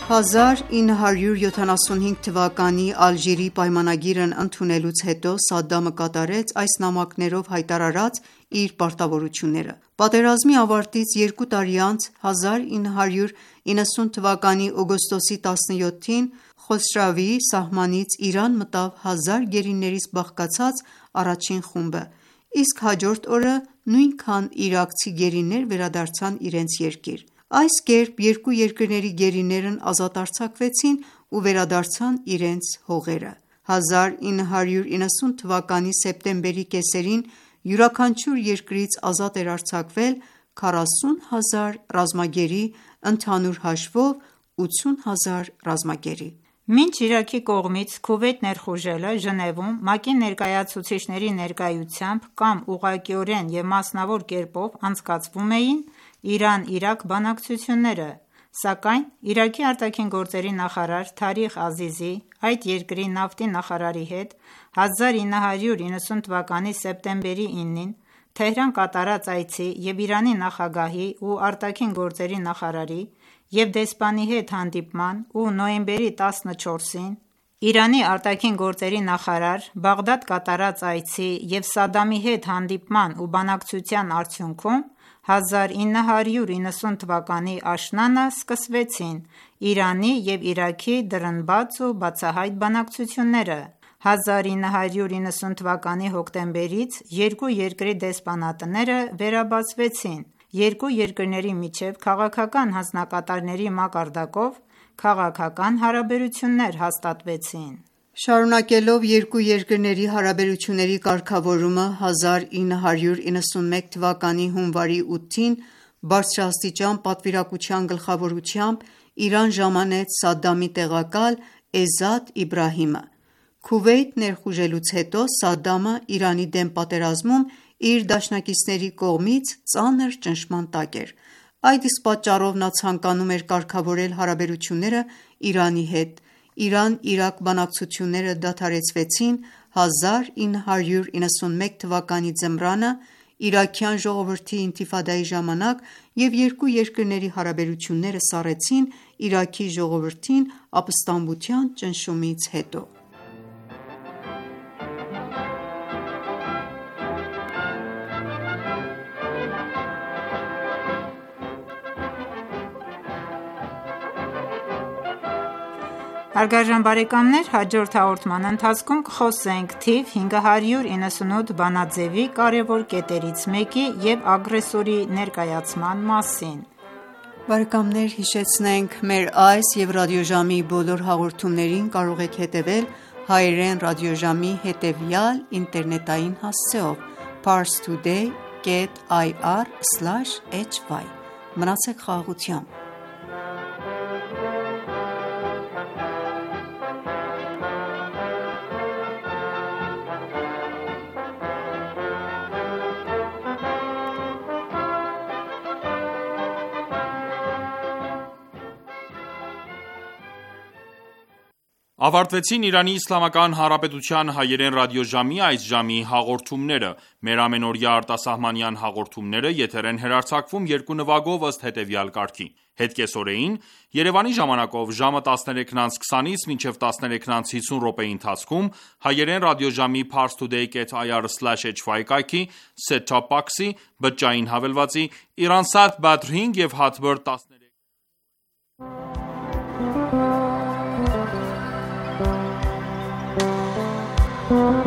հազար ինը հարյուր յոթանասունհինգ թվականի Ալժիրի պայմանագիրն ընդունելուց հետո Սադամը կատարեց այս նամակներով հայտարարած իր պարտավորությունները: Պատերազմի ավարտից երկու տարի անց հազար ինը հարյուր իննսուն թվականի օգոստոսի տասնյոթին Խոսրավիի սահմանից Իրան մտավ հազար գերիներից բաղկացած առաջին խումբը, իսկ հաջորդ օրը նույնքան իրաքցի գերիներ վերադարձան իրենց երկիր: Այս կերպ երկու երկրների գերիներն ազատ արձակվեցին ու վերադարձան իրենց հողերը: հազար ինը հարյուր իննսուն թվականի սեպտեմբերի կեսերին յուրաքանչյուր երկրից ազատ էր արձակվել քառասուն հազար ռազմագերի, ընդհանուր հաշվով ութուն հազար ռազմագերի: Մինչ Իրաքի կողմից Քուվեյթ ներխուժելը Ժնևում ՄԱԿ-ի ներկայացուցիչների ներկայությամբ կամ ուղղակիորեն և մասնավոր կերպով անցկացվում էին Իրան-Իրաք բանակցությունները, սակայն Իրաքի ԱԳ նախարար Թարիղ Ազիզի, այդ երկրի նավթի նախարարի հետ հազար ինը հարյուր իննսուն թվականի սեպտեմբերի ինին Թեհրան կատարած այցի և Իրանի նախագահի ու ԱԳ նախարարի և դեսպանի հետ հանդիպման ու նոյեմբերի տասնչորսին Իրանի ԱԳ նախարար Բաղդադ կատարած այցի և Սադամի հետ հանդիպման ու բանակցության արդյունքում հազար ինը հարյուր իննսուն թվականի աշնանը սկսվեցին Իրանի և Իրաքի դռնբաց ու բացահայտ բանակցությունները: հազար ինը հարյուր իննսուն թվականի հոկտեմբերից երկու երկրի դեսպանատները վերաբացվեցին: Երկու երկրների միջև քաղաքական հանձնակատարների մակարդակով քաղաքական հարաբերություններ հաստատվեցին: Շարունակելով երկու երկրների հարաբերությունների կարգավորումը, հազար ինը հարյուր իննսունմեկ թվականի հունվարի ութին բարձրաստիճան պատվիրակության գլխավորությամբ Իրան ժամանեց Սադամի տեղակալ Էզադ Իբրահիմը: Քուվեյթ ներխուժելուց հետո Սադամը Իրանի դեմ պատերազմում իր դաշնակիցների կողմից ծանր ճնշման տակ էր: Այդ իսկ պատճառով նա ցանկանում էր կարգավորել հարաբերությունները Իրանի հետ: Իրան-Իրաք բանակցությունները դադարեցվեցին հազար ինը հարյուր իննսունմեկ թվականի ձմռանը իրաքյան ժողովրդի ինթիֆադայի ժամանակ և երկու երկրների հարաբերությունները սառեցին Իրաքի ժողովրդին ապստամբության ճնշումից հետո: Հաջորդ հաղորդման ընթացքում կխոսենք թիվ հինգ հարյուր իննսունութ բանաձևի կարևոր կետերից մեկի և ագրեսորի ներկայացման մասին: Հիշեցնենք մեր այս և ռադիոժամի բոլոր հաղորդումներին կարող եք հետևել հայերեն ռադիոժամի հետևյալ ինտերնետային հասցեով՝ parstoday կետ ir սլաշ hy: Մնացեք խաղաղությամբ: Ավարտվեցին Իրանի Իսլամական Հանրապետության հայերեն ռադիոժամի այս ժամի հաղորդումները: Մեր ամենօրյա արտասահմանյան հաղորդումները եթեր են հեռարձակվում երկու նվագով ըստ հետևյալ կարգի: Հետ կեսօրեին Երևանի ժամանակով ժամը տասներեքն անց քսանից մինչև տասներեքն անց հիսուն րոպեի ընթացքում հայերեն ռադիոժամի parstoday կետ ir սլաշ hy կայքի set top box-ի, բջջային հավելվածի, Iransat Badr հինգ և Hatbird տասներեք Thank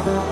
you.